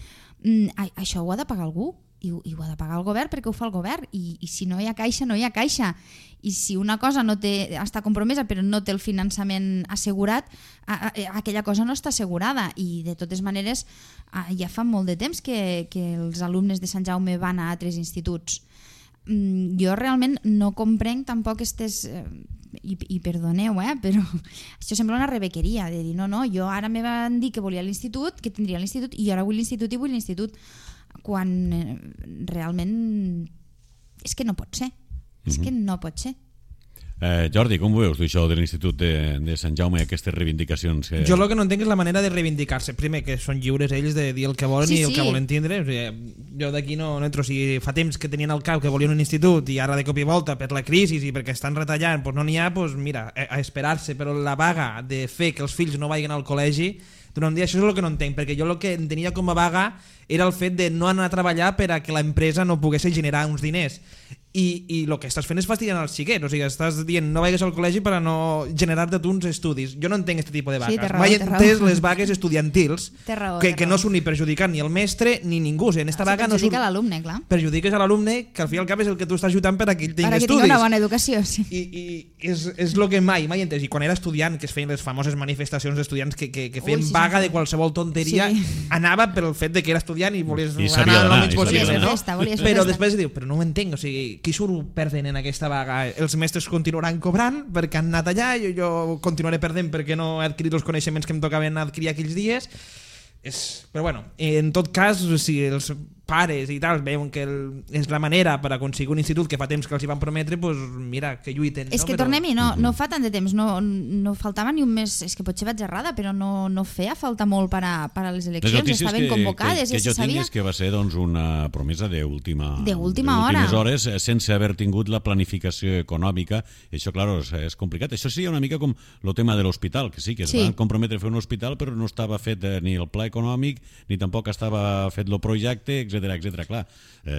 això ho ha de pagar algú i ho ha de pagar el govern, perquè ho fa el govern, i si no hi ha caixa, no hi ha caixa, i si una cosa està compromesa però no té el finançament assegurat, aquella cosa no està assegurada. I de totes maneres ja fa molt de temps que els alumnes de Sant Jaume van a altres instituts. Jo realment no comprenc tampoc i perdoneu, però això sembla una rebequeria de dir, no, jo ara me van dir que volia l'institut, que tindria l'institut, i ara vull l'institut i vull l'institut, quan realment és que no pot ser. És que no pot ser. Jordi, com ho veus, tu, això de l'Institut de Sant Jaume, aquestes reivindicacions? Jo el que no entenc és la manera de reivindicar-se. Primer, que són lliures ells de dir el que volen i el que volen tindre. O sigui, jo d'aquí no entro. Si fa temps que tenien al cap que volien un institut i ara de cop i volta per la crisi i perquè estan retallant no n'hi ha, mira, a esperar-se. Però la vaga de fer que els fills no vagin al col·legi durant un dia, això és el que no entenc, perquè jo el que entenia com a vaga era el fet de no anar a treballar per a que l'empresa no pogués generar uns diners. I el que estàs fent és fastidiant els xiquets, o sigui, estàs dient no vagis al col·legi per a no generar-te tu uns estudis. Jo no entenc aquest tipus de vagues. Mai he entès les vagues estudiantils que no són ni perjudicant ni el mestre ni ningú. O sigui, en esta vaga no perjudica l'alumne, clar. Perjudiques a l'alumne, que al fi i al cap és el que tu estàs ajudant per a que ell tingui estudis. Per a que tingui una bona educació, sí. I és el que mai he entès. I quan era estudiant, que es feien les famoses manifestacions d'estudiants que feien vaga de qualsevol tonteria, anava per el fet de que era estudiant i volies anar el menys possible. Però després diu, però no ho entenc, o sigui, qui surt perdent en aquesta vaga? Els mestres continuaran cobrant perquè han anat allà, jo continuaré perdent perquè no he adquirit els coneixements que em tocaven adquirir aquells dies. Però bueno, en tot cas, si els pares i tal veuen que és la manera per aconseguir un institut que fa temps que els hi van prometre, doncs mira, que lluiten. És que tornem-hi, no fa tant de temps, no faltava ni un mes, és que potser vaig errada, però no feia falta molt per a les eleccions, estaven convocades, que jo tinc és que va ser una promesa d'última hora, hores, sense haver tingut la planificació econòmica. Això, clar, és complicat. Això seria una mica com el tema de l'hospital, que sí, que es van comprometre a fer un hospital, però no estava fet ni el pla econòmic, ni tampoc estava fet el projecte, etc. Clar,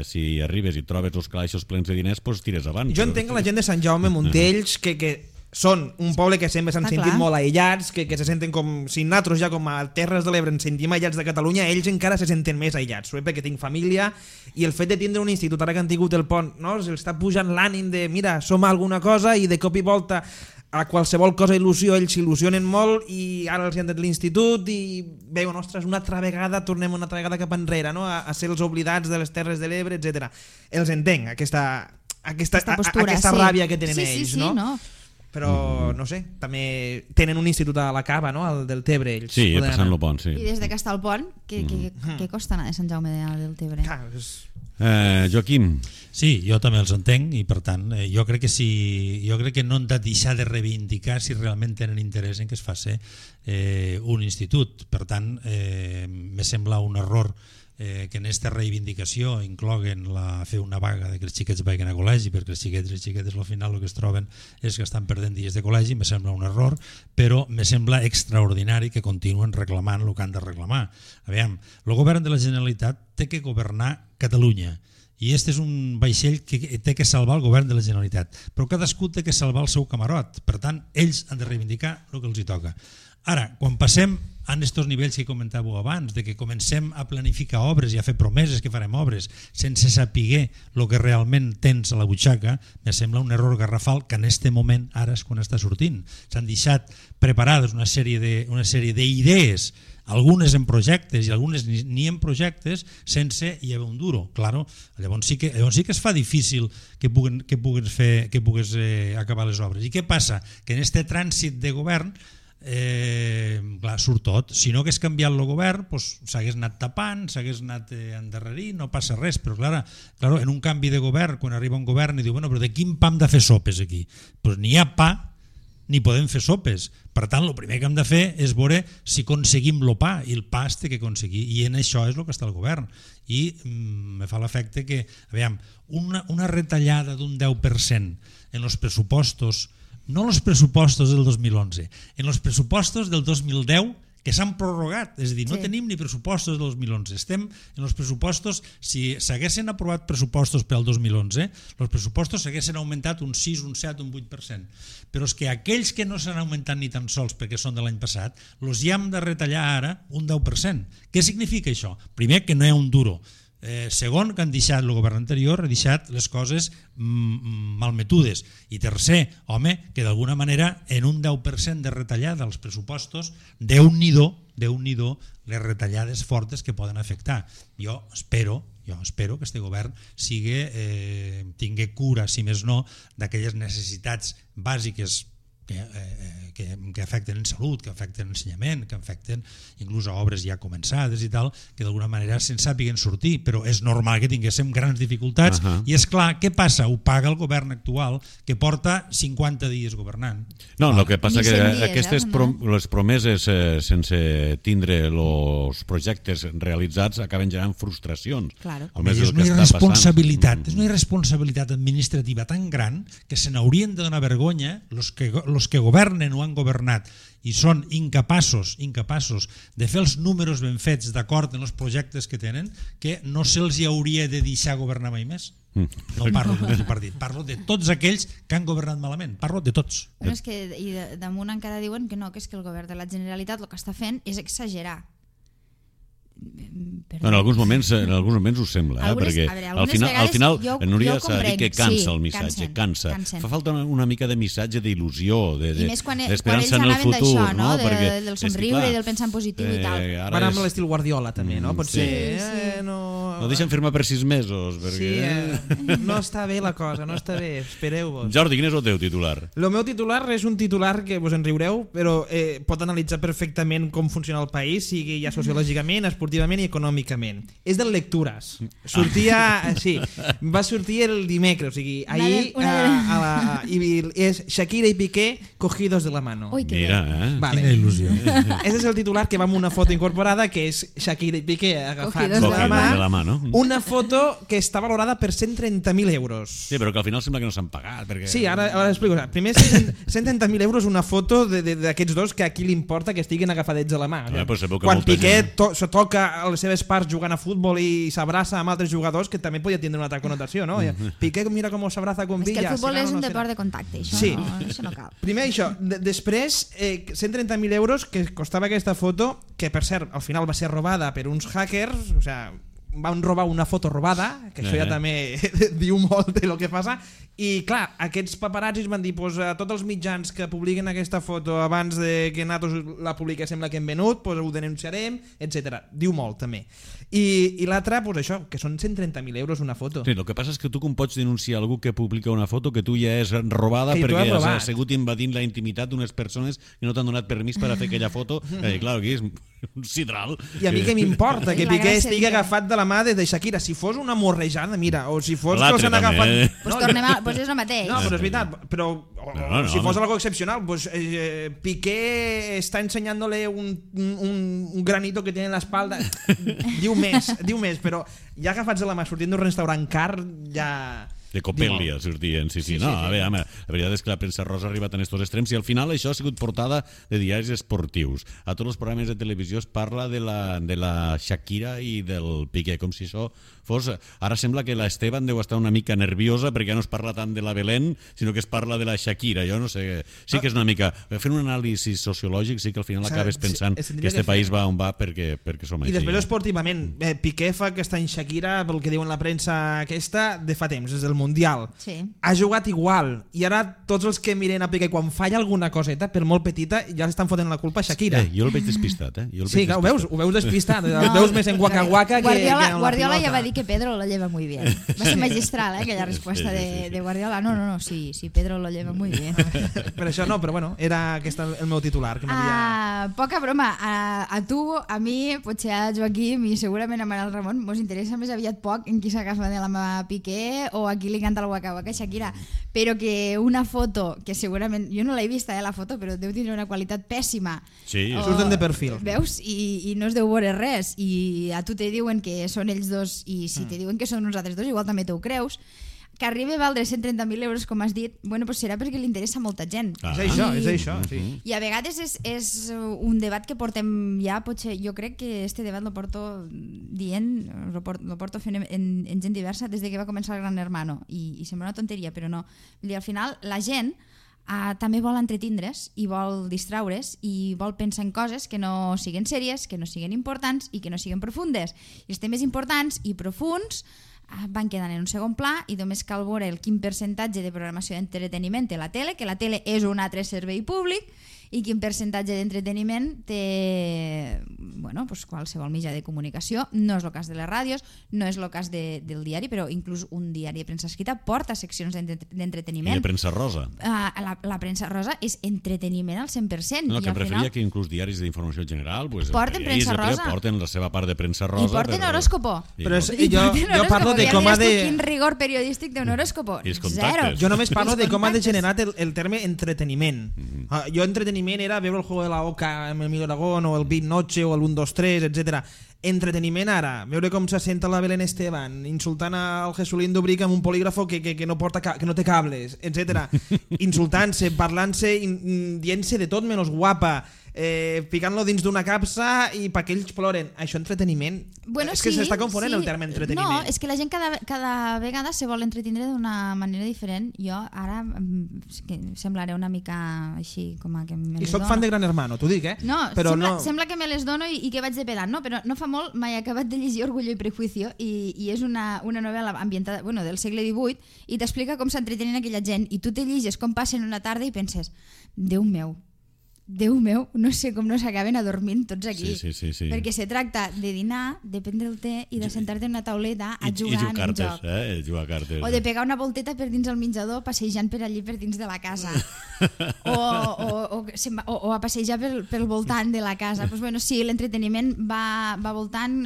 si arribes i trobes els calaixos plens de diners, doncs tires avant. Jo entenc la gent de Sant Jaume, Montells, que són un poble que sempre s'han sentit molt aïllats, que se senten com, si nosaltres ja com a Terres de l'Ebre ens sentim aïllats de Catalunya, ells encara se senten més aïllats, perquè tinc família, i el fet de tindre un institut, ara que han tingut el pont, no? Els està pujant l'ànim de, mira, som alguna cosa, i de cop i volta a qualsevol cosa il·lusió, ells s'il·lusionen molt i ara els han dit l'institut i veuen, ostres, una altra vegada tornem una altra vegada cap enrere, no? a ser els oblidats de les Terres de l'Ebre, etc. Els entenc, aquesta postura, ràbia que tenen ells, no? Però, no sé, també tenen un institut a la Cava, no? El del Tebre, ells. Sí, passant el pont, sí. I des que està el pont, què costa anar de Sant Jaume del Tebre? Joaquim. Sí, jo també els entenc i per tant jo crec que no han de deixar de reivindicar si realment tenen interès en que es faci un institut. Per tant, me sembla un error que en aquesta reivindicació incloguen fer una vaga de que els xiquets vagin a col·legi, perquè els xiquets i les xiquetes al final el que es troben és que estan perdent dies de col·legi. Me sembla un error, però me sembla extraordinari que continuen reclamant el que han de reclamar. Aviam, el govern de la Generalitat té que governar Catalunya i este és un vaixell que té que salvar el govern de la Generalitat, però cadascú té que salvar el seu camarot. Per tant, ells han de reivindicar el que els hi toca. Ara, quan passem a aquests nivells que comentàveu abans, de que comencem a planificar obres i a fer promeses que farem obres sense saber el que realment tens a la butxaca, me sembla un error garrafal que en aquest moment ara és quan està sortint. S'han deixat preparades una sèrie d'idees, algunes en projectes i algunes ni en projectes, sense hi haver un duro. Claro, llavors sí que es fa difícil que pugues acabar les obres. I què passa? Que en aquest trànsit de govern clar, surt tot. Si no hagués canviat el govern, s'hagués anat tapant, s'hagués anat endarrerint, no passa res. Però clar, en un canvi de govern, quan arriba un govern i diu, bueno, però de quin pa hem de fer sopes aquí? Doncs ni hi ha pa ni podem fer sopes. Per tant, el primer que hem de fer és veure si aconseguim el pa, i el pa es té que aconseguir, i en això és el que està el govern. I me fa l'efecte que, aviam, una retallada d'un 10% en els pressupostos, no els pressupostos del 2011, en els pressupostos del 2010 que s'han prorrogat, és a dir, no tenim ni pressupostos del 2011, estem en els pressupostos, si s'haguessin aprovat pressupostos per al 2011, els pressupostos s'haguessin augmentat un 6, un 7, un 8%, però és que aquells que no s'han augmentat ni tan sols perquè són de l'any passat, els hi hem de retallar ara un 10%. Què significa això? Primer, que no hi ha un duro. Segon, que han deixat el govern anterior, ha deixat les coses malmetudes, i tercer, home, que d'alguna manera en un 10% de retallada als pressupostos, Déu-n'hi-do les retallades fortes que poden afectar. Jo espero que este govern tingui cura, si més no, d'aquelles necessitats bàsiques que afecten en salut, que afecten ensenyament, que afecten inclús a obres ja començades i tal, que d'alguna manera se'n sàpiguen sortir, però és normal que tinguéssim grans dificultats i és clar, què passa? Ho paga el govern actual que porta 50 dies governant. No, el que passa que aquestes les promeses sense tindre els projectes realitzats acaben generant frustracions. Claro. És una irresponsabilitat, és una irresponsabilitat administrativa tan gran que se n'haurien de donar vergonya los que governen o han governat i són incapaços de fer els números ben fets d'acord amb els projectes que tenen, que no se'ls hi hauria de deixar governar mai més. No parlo d'un partit, parlo de tots aquells que han governat malament, parlo de tots. Bueno, és que i damunt encara diuen que no, que és que el govern de la Generalitat el que està fent és exagerar. En alguns moments ho sembla, perquè al final Núria s'ha dit que cansa el missatge, cansa. Fa falta una mica de missatge d'il·lusió, d'esperança en el futur, no? Del somriure i del pensar en positiu i tal. Van amb l'estil Guardiola també, no? Potser no deixen firmar per 6 mesos. Sí, no està bé la cosa, no està bé, espereu-vos. Jordi, quin és el teu titular? El meu titular és un titular que vos en riureu, però pot analitzar perfectament com funciona el país, sigui ja sociològicament, esportivament i econòmicament. És de lectures. Va sortir el dimecres, o sigui, ahir és Shakira i Piqué cogidos de la mano. Ui, que quina il·lusió. Aquest és el titular que va amb una foto incorporada, que és Shakira i Piqué agafats de la mà. Una foto que està valorada per 130.000 euros. Sí, però que al final sembla que no s'han pagat. Sí, ara explico. Primer, 130.000 euros una foto d'aquests dos que a qui li importa que estiguin agafadets de la mà. Quan Piqué se toca les seves parts jugant a futbol i s'abraça amb altres jugadors, que també podia tindre una altra connotació, no? Piqué mira com s'abraça con Villa. És que el futbol és un deport de contacte, això no cal. Primer això, després 130.000 euros que costava aquesta foto, que per cert al final va ser robada per uns hackers, o sigui, van robar una foto robada, que això ja també diu molt de lo que passa, i clar, aquests paparazzis van dir a tots els mitjans que publiquen aquesta foto abans de que nosaltres la publiquem la que hem venut, ho denunciarem, etc. Diu molt també. I l'altre, això, que són 130.000 euros una foto. Sí, el que passa és que tu com pots denunciar algú que publica una foto que tu ja és robada perquè has sigut invadint la intimitat d'unes persones que no t'han donat permís per a fer aquella foto? Clar, aquí és un sidral. I a mi què m'importa que Piqué estigui agafat de la mà de Shakira? Si fos una morrejada, mira, o si fos que s'han agafat... Pues és el mateix. No, però és veritat, però si fos algo excepcional, Piqué està ensenyándole un granito que tiene en la espalda. Diu més, però ja agafats de la mà sortint d'un restaurant car, ja... De Copèlia sortien, sí. No, a veure, la veritat és que la premsa rosa ha arribat en estos extrems i al final això ha sigut portada de diaris esportius. A tots els programes de televisió es parla de la Shakira i del Piqué, com si això fos... Ara sembla que l'Esteban deu estar una mica nerviosa perquè ja no es parla tant de la Belén, sinó que es parla de la Shakira. Jo no sé, sí que és una mica... Fent un anàlisi sociològic sí que al final acabes pensant que este país va on va perquè som així. I després esportivament, Piqué fa aquesta any Shakira, pel que diuen la premsa aquesta, de fa temps, des del Mundial. Sí. Ha jugat igual i ara tots els que miren a Piqué quan falla alguna coseta, per molt petita, ja l'estan fotent la culpa a Shakira. Jo el veig despistat, Sí, ho veus despistat. El veus més en Waka Waka que en la Guardiola pilota. ja va dir que Pedro lo lleva muy bien. Va ser magistral, aquella resposta de Guardiola. No, sí, Pedro lo lleva muy bien. Per això no, però bueno, era aquest el meu titular. Que poca broma. A tu, a mi, potser a Joaquim i segurament a Manel Ramon mos interessa més aviat poc en qui s'agafa de la mà Piqué o a qui li canta el Waka Waka Shakira, però que una foto que segurament, jo no l'he vista la foto, però deu tenir una qualitat pèssima. Sí, surten de perfil. Veus? I no es deu veure res i a tu te diuen que són ells dos i si te diuen que són uns altres dos igual també t'ho creus. Que arribi a valdre 130.000 euros, com has dit, bueno, pues serà perquè li interessa a molta gent. És això, sí. I a vegades és un debat que portem ja, potser, jo crec que este debat lo porto dient, lo porto fent en gent diversa des de que va començar el Gran Hermano, i sembla una tonteria, però no. Al final, la gent també vol entretindre's i vol distraure's i vol pensar en coses que no siguen sèries, que no siguen importants i que no siguen profundes. I els temes importants i profuns van quedant en un segon pla i només cal veure quin percentatge de programació d'entreteniment té la tele, que la tele és un altre servei públic i quin percentatge d'entreteniment té qualsevol mitjà de comunicació. No és el cas de les ràdios, no és el cas del diari, però inclús un diari de premsa escrita porta seccions d'entreteniment. I de premsa rosa. La premsa rosa és entreteniment al 100%. No, que em referia que inclús diaris d'informació general porten premsa rosa. Porten la seva part de premsa rosa. I porten horòscopo. Però jo parlo de com ha de... Quin rigor periodístic d'un horòscopo? Zero. Jo només parlo de com ha degenerat el terme entreteniment. Jo entreteniment era veure el Juego de la Oca amb el Emilio Aragón o el Beat Noche o el 1, 2, 3, etc. Entreteniment ara, veure com se senta la Belén Esteban insultant al Jesulín Dubric amb un polígrafo que no té cables, etc. Insultant-se, parlant-se, dient-se de tot menys guapa, ficant-lo dins d'una capsa i perquè ells ploren. Això entreteniment? És que s'està confonent el terme entreteniment. No, és que la gent cada vegada se vol entretindre d'una manera diferent. Jo ara semblaré una mica així com a que me les dono. I soc fan de Gran Hermano, t'ho dic, No, sembla que me les dono i que vaig de pedant, no? Però no fa molt m'he acabat de llegir Orgullo i Prejuicio i és una novel·la ambientada del segle XVIII i t'explica com s'entretenen aquella gent i tu te lliges com passen una tarda i penses, Déu meu, no sé com no s'acaben adormint tots aquí. Sí. Perquè se tracta de dinar, de prendre el té i de sentar-te en una tauleta a jugar en un joc. Jugar cartes. O de pegar una volteta per dins el menjador passejant per allí per dins de la casa. o a passejar pel voltant de la casa. Pues sí, l'entreteniment va voltant,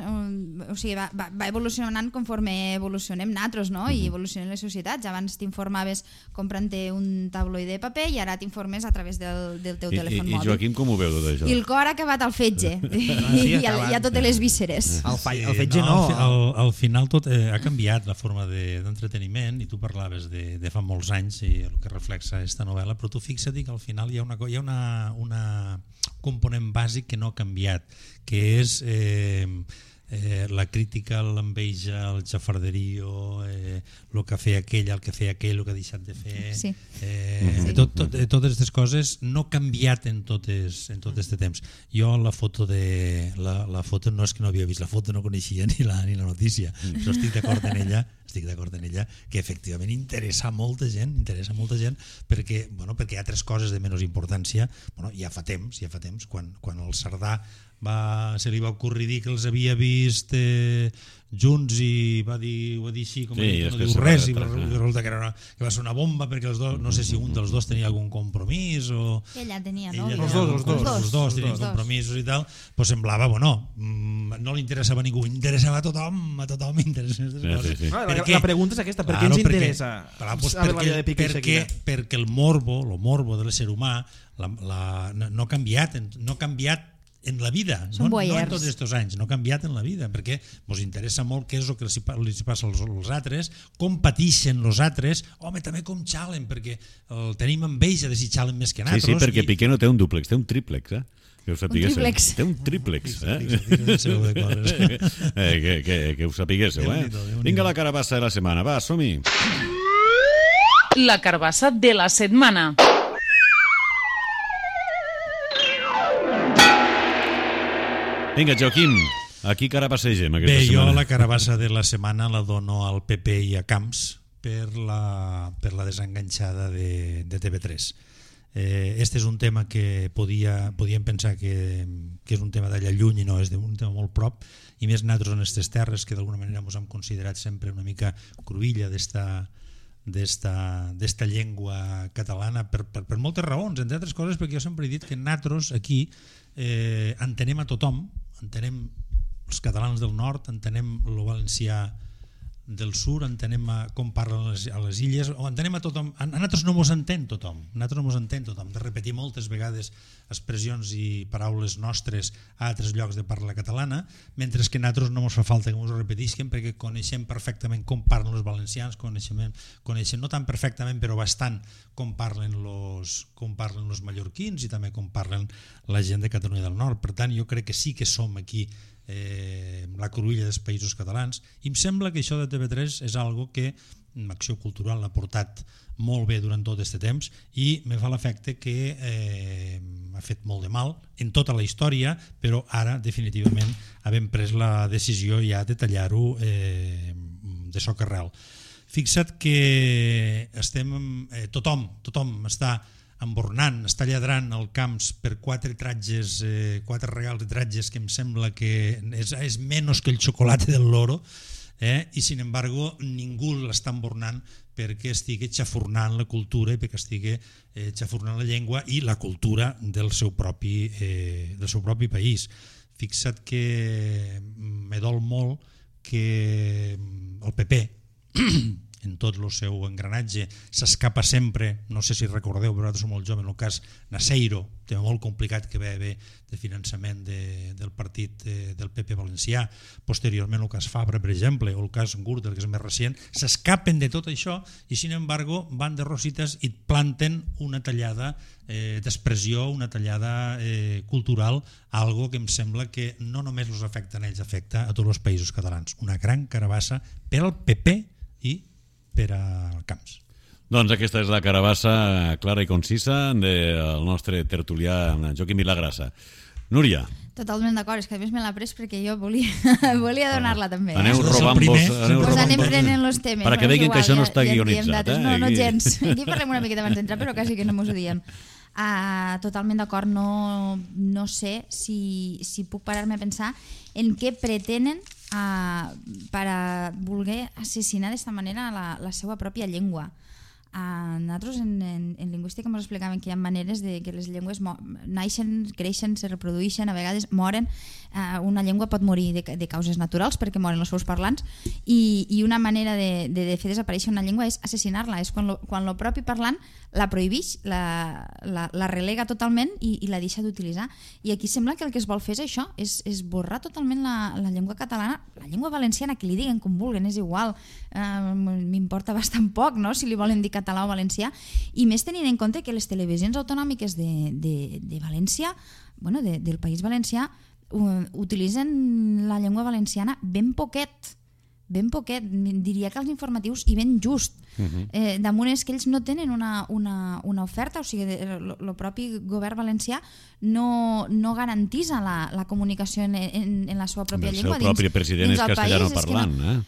o sigui, va evolucionant conforme evolucionem nosaltres, no? I evolucionen les societats. Abans t'informaves comprant-te un tabloide de paper i ara t'informes a través del teu telèfon mòbil. I Joaquim com ho veu tot això? I el cor ha acabat al fetge. I a totes les vísceres. El fetge no. Al final tot ha canviat la forma d'entreteniment i tu parlaves de fa molts anys i el que reflexa aquesta novel·la, però tu fixa't que al final hi ha una component bàsic que no ha canviat, que és la crítica, l'enveja, el xafarderio, el que feia aquell, el que feia aquell, el que ha deixat de fer. Sí. Totes aquestes coses no han canviat en tot aquest temps. Jo la foto no és que no havia vist la foto, no coneixia ni la notícia, però estic d'acord en ella que efectivament interessa molta gent perquè hi ha altres coses de menys importància. Ja fa temps quan el Cerdà se li va ocórrer dir que els havia vist junts i va dir així com no diu res i resulta que va ser una bomba perquè els dos, no sé si un dels dos tenia algun compromís o... Ella tenia, no? Els dos tenien compromisos i tal, doncs semblava, no li interessava a ningú, interessava a tothom La pregunta és aquesta, per què ens interessa saber la vida de Piqué i Shakira? Perquè el morbo de l'ésser humà no ha canviat en la vida, no en tots aquests anys, no ha canviat en la vida, perquè ens interessa molt què és el que els passa als altres, com pateixen els altres, també com xalen, perquè tenim enveja de si xalen més que nosaltres. Sí, perquè Piqué no té un dúplex, té un tríplex, que ho sapiguéssiu. Té un tríplex, que ho sapiguéssiu. Vinga la carabassa de la setmana, va, som-hi. La carbassa de la setmana. Vinga, Joaquim, aquí carabassegem aquesta setmana. Jo la carabassa de la setmana la dono al PP i a Camps per la desenganxada de TV3. Este és un tema que podíem pensar que és un tema d'allà lluny i no, és un tema molt prop, i més nosaltres en aquestes terres que d'alguna manera ens hem considerat sempre una mica cruïlla d'esta llengua catalana per moltes raons, entre altres coses perquè jo sempre he dit que nosaltres aquí entenem a tothom, entenem els catalans del nord, entenem el valencià del sud, entenem com parlen a les illes, o entenem a tothom. A nosaltres no mos entén tothom, de repetir moltes vegades expressions i paraules nostres a altres llocs de parla catalana, mentre que a nosaltres no mos fa falta que mos ho repetisquen perquè coneixem perfectament com parlen els valencians, coneixem no tan perfectament però bastant com parlen els mallorquins i també com parlen la gent de Catalunya del Nord. Per tant, jo crec que sí que som aquí la cruïlla dels països catalans, i em sembla que això de TV3 és algo que Acció Cultural l'ha portat molt bé durant tot aquest temps i me fa l'efecte que ha fet molt de mal en tota la història, però ara definitivament havem pres la decisió ja de tallar-ho de socarel. Fixa't que tothom està embornant, està lladrant al camps per 4 regals de tratges que em sembla que és menys que el xocolate del loro, i sin embargo ningú l'està embornant perquè estigui xafurnant la cultura i perquè estigui xafurnant la llengua i la cultura del seu propi país. Fixa't que me dol molt que el PP en tot el seu engranatge s'escapa sempre, no sé si recordeu, però nosaltres som molt joves, en el cas Naseiro, tema molt complicat que va haver de finançament del partit del PP valencià, posteriorment el cas Fabra, per exemple, o el cas Gürtel, que és més recent, s'escapen de tot això i, sin embargo, van de rosites i planten una tallada d'expressió, una tallada cultural, algo que em sembla que no només els afecta a ells, afecta a tots els països catalans. Una gran carabassa per al PP i per al camps. Doncs aquesta és la carabassa clara i concisa del nostre tertulià Joaquim Vilagrassa. Núria. Totalment d'acord, és que a més me l'ha pres perquè jo volia donar-la també. Aneu robant-vos. Pues anem prenent els temes. Perquè veiem que això no està guionitzat. No, gens. Aquí parlem una miqueta abans d'entrar, però quasi que no mos ho diem. Totalment d'acord, no sé si puc parar-me a pensar en què pretenen per a voler assassinar d'esta manera la seva pròpia llengua. Nosaltres en lingüística ens explicaven que hi ha maneres de que les llengües naixen, creixen, se reprodueixen, a vegades moren. Una llengua pot morir de causes naturals perquè moren els seus parlants i una manera de fer desaparèixer una llengua és assassinar-la, és quan el propi parlant la prohibeix, la relega totalment i la deixa d'utilitzar. I aquí sembla que el que es vol fer és això, és borrar totalment la llengua catalana, la llengua valenciana, que li diguen com vulguen, és igual, m'importa bastant poc, no?, si li volen dir català o valencià, i més tenint en compte que les televisions autonòmiques de València, bueno, del País Valencià, utilitzen la llengua valenciana ben poquet, diria que els informatius i ben just. Damunt és que ells no tenen una oferta, o sigui, el propi govern valencià no garantitza la comunicació en la seva pròpia llengua. El seu propi president és castellano parlant,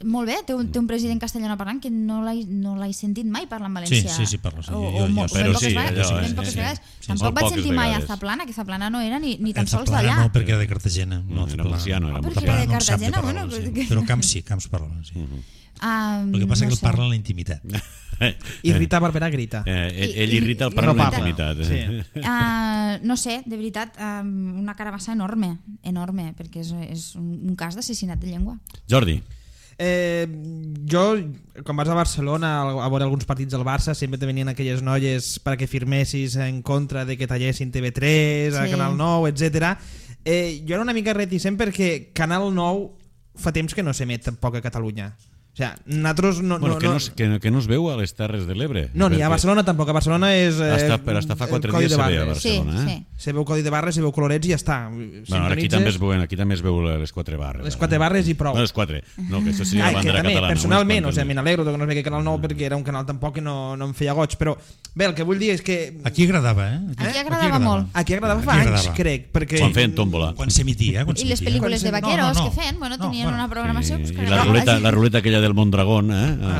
Molt bé, té un president castellano parlant que no l'he sentit mai parlar en valencià. Sí, parla. Però sí, ben poques vegades. Tampoc vaig sentir mai a Zaplana, que Zaplana no era ni tan sols d'allà. No, perquè era de Cartagena. No, era valenciano. Perquè era de Cartagena, bueno. Però Camps parla, sí. El que passa és que el parla en la intimitat. Irrita Barberà grita. Ell irrita el parla en la intimitat. No sé, de veritat, una carabassa enorme, perquè és un cas d'assassinat de llengua. Jordi. Jo, quan vas a Barcelona a veure alguns partits del Barça, sempre te venien aquelles noies perquè firmessis en contra de que tallessin TV3, a Canal 9, etc. Jo era una mica reticent perquè Canal 9 fa temps que no s'emet tampoc a Catalunya. O sea, nosaltres que no es veu a les Terres de l'Ebre. No, ni a Barcelona tampoc. A Barcelona és però hasta fa 4 dies se veia a Barcelona. Sí. Se veu codi de barres, se veu colorets i ja està. Bueno, aquí també es veu les 4 barres. Les 4 barres i prou. No, les 4. No, que això seria la bandera catalana. Personalment, me n'alegro que no es vegi Canal 9 perquè era un canal tampoc que no em feia goig, però bé, el que vull dir és que... Aquí agradava, Aquí agradava molt. Aquí agradava fa anys, crec. Quan feien tòmbola. Quan s'emitia. I les pel·lícules de vaqueros que feien, tenien una programació... I la ruleta aquella del Mondragón,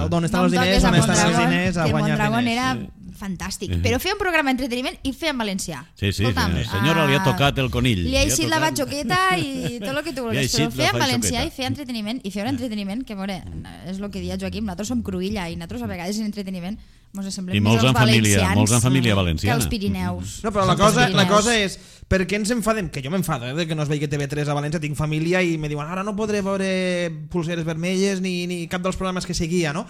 d'on estan els diners, que Mondragón era fantàstic, però feia un programa d'entreteniment i feia en valencià. Sí, senyora, li ha tocat el conill. Li ha eixit la batxoqueta i tot el que tu vulguis, però feia en valencià i feia entreteniment, i feia un entreteniment que, és el que deia Joaquim, nosaltres som Cruïlla i nosaltres a vegades en entreteniment mos semblem més els valencians molts en família valenciana que els Pirineus. No, però la cosa és per què ens enfadem? Que jo m'enfado de que no es vegi TV3 a València, tinc família i me diuen ara no podré veure Pulseres Vermelles ni cap dels programes que seguia, no?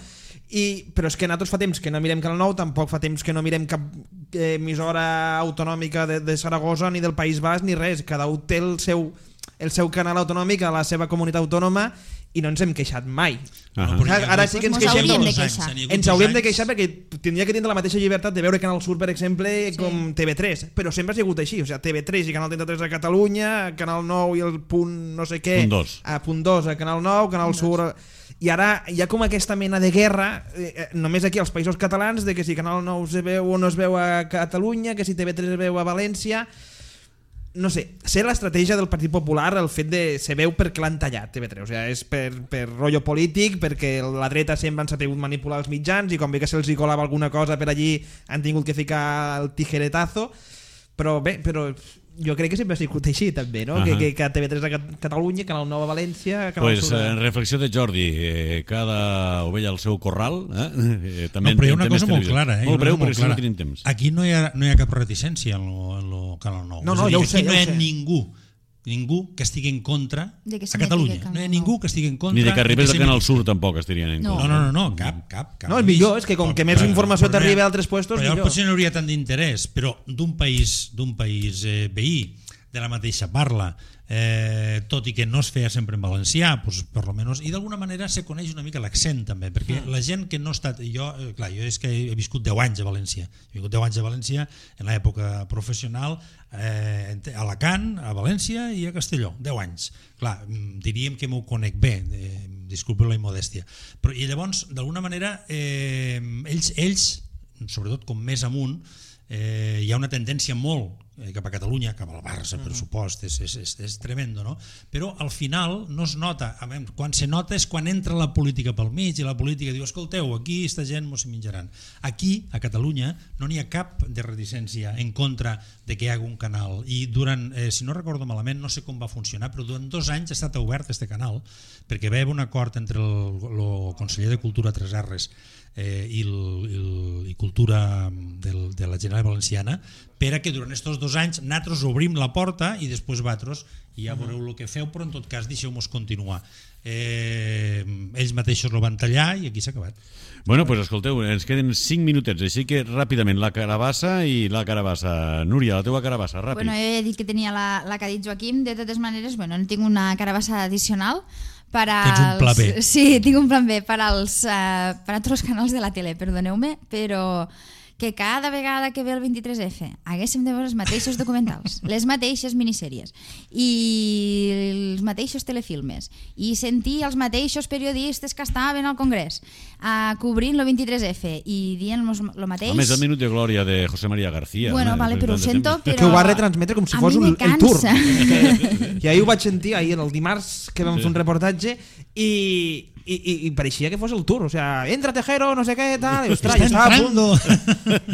Però és que nosaltres fa temps que no mirem Canal 9, tampoc fa temps que no mirem cap emissora autonòmica de Saragossa ni del País Basc ni res, cada un té el seu canal autonòmic a la seva comunitat autònoma i no ens hem queixat mai. Ara sí que ens queixem. Ens hauríem de queixar perquè tindria que tindre la mateixa llibertat de veure Canal Sur, per exemple, com TV3, però sempre ha sigut així. O sigui, TV3 i Canal 33 a Catalunya, Canal 9 i el punt no sé què, punt 2 a Canal 9, Canal Sur... I ara hi ha com aquesta mena de guerra només aquí als països catalans de que si Canal 9 se veu o no es veu a Catalunya, que si TV3 es veu a València... no sé, sé l'estratègia del Partit Popular, el fet de se veu perquè l'han tallat TV3, o sigui, és per rotllo polític, perquè la dreta sempre han sabut manipular els mitjans i com bé que se'ls hi colava alguna cosa per allí han tingut que ficar el tijeretazo, però bé, jo crec que sempre ha sigut així també, no? Que TV3 a Catalunya, Canal 9 a València, Canal Pues Sur en reflexió de Jordi, cada ovella al seu corral, també però hi ha una cosa molt clara, molt breu perquè si no tenim temps. Aquí no hi ha cap reticència en lo Canal 9. No, ja ho sé, aquí no hi ha ningú que estigui en contra a Catalunya. No hi ha ningú que estigui en contra. Ni de que arribés al Canal Sur tampoc estirien en contra. No, cap. No, el millor és que com que més informació t'arriba a altres puestos, millor. millor. Potser no hauria tant d'interès, però d'un país veí, de la mateixa parla, tot i que no es feia sempre en valencià, doncs, per lo menos, i d'alguna manera se coneix una mica l'accent també, perquè la gent que no ha estat... Jo és que he viscut 10 anys a València, en l'època professional, a Alacant, a València i a Castelló, 10 anys. Clar, diríem que m'ho conec bé, disculpeu la immodèstia, però i llavors d'alguna manera ells, sobretot com més amunt, hi ha una tendència molt cap a Catalunya, cap al Barça, per supost, és tremendo, no? Però al final no es nota, quan se nota és quan entra la política pel mig i la política diu, escolteu, aquí esta gent mos menjaran. Aquí, a Catalunya, no n'hi ha cap de reticència en contra de que hi hagi un canal i durant, si no recordo malament, no sé com va funcionar, però durant 2 anys ha estat obert este canal perquè va haver un acord entre el conseller de Cultura 3Rs i Cultura de la Generalitat Valenciana per a que durant aquests 2 anys nosaltres obrim la porta i després vosaltres ja veureu el que feu, però en tot cas deixeu-nos continuar. Ells mateixos lo van tallar i aquí s'ha acabat. Bueno, pues escolteu, ens queden 5 minutets, així que ràpidament la carabassa i la carabassa. Núria, la teua carabassa, ràpid. Bueno, jo he dit que tenia la que ha dit Joaquim, de totes maneres, bueno, tinc una carabassa addicional per als... Tens un pla B. Sí, tinc un plan B per als altres canals de la tele, perdoneu-me, però que cada vegada que ve el 23F haguéssim de veure els mateixos documentals, les mateixes minissèries i els mateixos telefilmes i sentir els mateixos periodistes que estaven al Congrés cobrint el 23F i dient el mateix... A més, el minut de glòria de José María García. Bueno, vale, però ho sento, però... Que ho va retransmetre com si fos el tour. I ahir ho vaig sentir, ahir el dimarts que vam fer un reportatge i pareixia que fos el tour, o sea, entra Tejero, no sé què, tal, i ostres, estava a punt.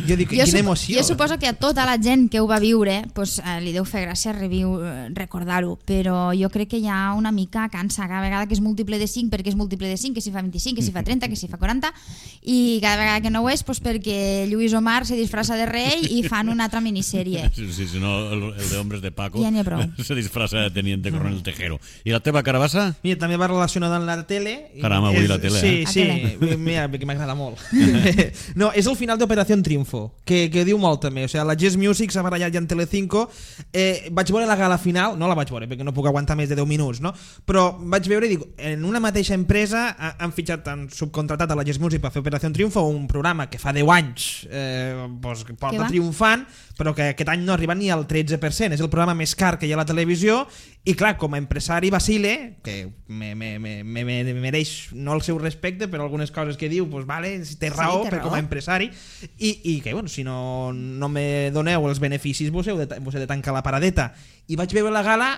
Jo dic, quina emoció. Jo suposo que a tota la gent que ho va viure pues, li deu fer gràcia recordar-ho, però jo crec que ja una mica cansa cada vegada que és múltiple de 5, perquè és múltiple de 5, que si fa 25, que si fa 30, que si fa 40, i cada vegada que no ho és pues, perquè Lluís Omar se disfressa de rei i fan una altra minissèrie. Sí, si no, el de Hombres de Paco ja n'hi ha prou. Se disfressa de Teniente Coronel Tejero. I la teva carabassa? Mira, també va relacionada amb la tele. Caram, avui la tele, Sí, mira, que m'agrada molt. No, és el final d'Operació Triunfo, que diu molt també, o sigui, la Jazz Music s'ha barallat ja en Telecinco, vaig veure la gala final, no la vaig veure perquè no puc aguantar més de 10 minuts, no? Però vaig veure i dic, en una mateixa empresa han subcontratat a la Jazz Music per fer Operació Triunfo, un programa que fa 10 anys porta triomfant, però que aquest any no arriba ni al 13%, és el programa més car que hi ha a la televisió, i clar, com a empresari vacile, que me mereix no el seu respecte, però algunes coses que diu, pues vale, té raó, sí, com a empresari, i que bueno, si no me doneu els beneficis vos heu de tancar la paradeta. I vaig veure la gala,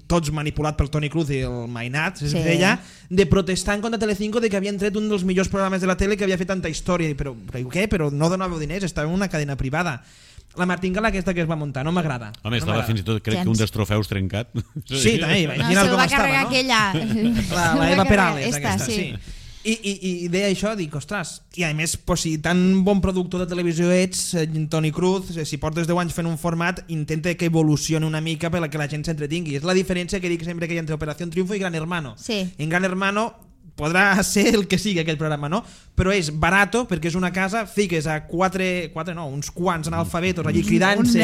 tots manipulat pel Toni Cruz i el Mainat, es deia, de protestar en contra de Telecinco de que havien tret un dels millors programes de la tele que havia fet tanta història. Però què? Però no donàveu diners, estava en una cadena privada. La martingala aquesta que es va muntar, no m'agrada. Home, estava fins i tot, crec que un dels trofeus trencat. Sí, també, imagina't com estava, no? La Eva Perales, aquesta, sí. I deia això, dic, ostres, i a més, si tan bon productor de televisió ets, Toni Cruz, si portes 10 anys fent un format, intenta que evolucioni una mica per que la gent s'entretingui. És la diferència que dic sempre que hi ha entre Operació Triunfo i Gran Hermano. En Gran Hermano podrà ser el que sigui aquell programa, no? Però és barato perquè és una casa, fiques a uns quants analfabetos allí cridant-se,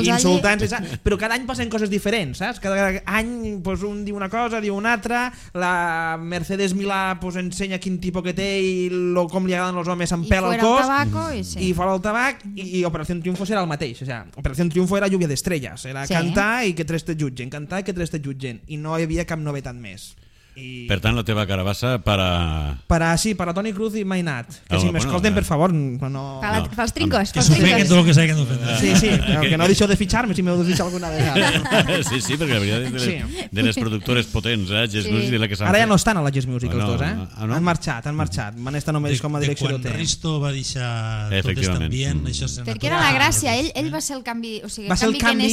insultant-se, però cada any passen coses diferents, saps? Cada any un diu una cosa, diu una altra, la Mercedes Milà ensenya quin tipus que té i com li agraden els homes amb pèl al cos, i fora el tabac, i Operació Triunfo serà el mateix. Operació Triunfo era lluvia d'estrelles, era cantar i que tres te jutgen, cantar i que tres te jutgen, i no hi havia cap novetat més. Per tant, la teva carabassa para Toni Cruz i Mainat. Que si m'escolten, per favor, no... Pels trincos. Que s'ofeguen tot el que s'hagin d'ofendre. Sí, que no deixeu de fitxar-me si m'heu de fitxar alguna vegada. Sí, perquè la veritat és de les productores potents, Jazz Music, i la que s'han Ara ja fet. no estan a la Jazz Music, els dos, no? Han marxat. Van estar només com a direcció quan d'hotel. Risto va deixar tot aquest ambient, això s'ha Perquè era la gràcia, ell va ser el canvi, o sigui, Va ser el canvi.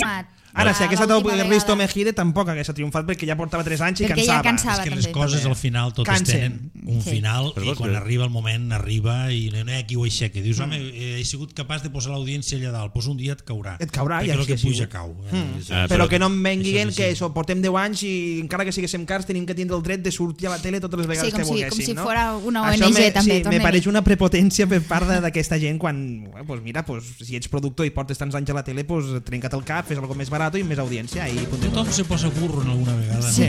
Ara, si hagués estat Risto Mejide tampoc hagués triomfat perquè ja portava 3 anys i perquè ja cansava. cansava. És que les coses al final totes tenen un final i quan arriba el moment arriba i no hi ha qui ho aixequi. Dius, home, he sigut capaç de posar l'audiència allà dalt, doncs un dia et caurà. Et caurà, perquè el que puja cau. Però que no em venguin que portem 10 anys i encara que siguéssim cars tenim que tindre el dret de sortir a la tele totes les vegades que volguéssim. Com si fora una Això ONG també. Sí, me pareix una prepotència per part d'aquesta gent quan, mira, si ets productor i portes tants anys a la tele, trenca't el cap, fes algo més barat i més audiència. Tothom se posa burro en alguna vegada. Sí.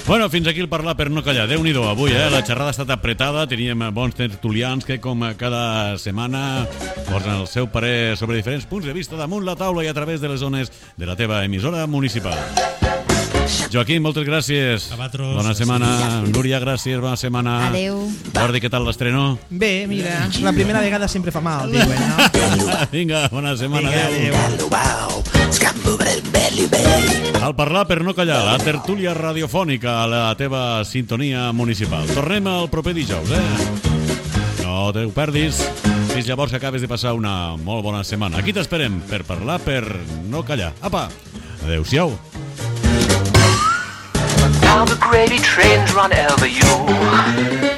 Bueno, fins aquí el parlar per no callar. Déu-n'hi-do, avui, la xerrada ha estat apretada, teníem bons tertulians que, com cada setmana, posen el seu parer sobre diferents punts de vista damunt la taula i a través de les zones de la teva emissora municipal. Joaquim, moltes gràcies. Bona setmana. Núria, gràcies, bona setmana. Adéu. Jordi, què tal l'estreno? Bé, mira, la primera vegada sempre fa mal, diuen, no? Vinga, bona setmana. Adéu. Al parlar per no callar, la tertúlia radiofònica a la teva sintonia municipal. Tornem al proper dijous, No te ho perdis. Fins llavors que acabes de passar una molt bona setmana. Aquí t'esperem per parlar per no callar. Apa, adeu-siau. Now the gravy trains run over you.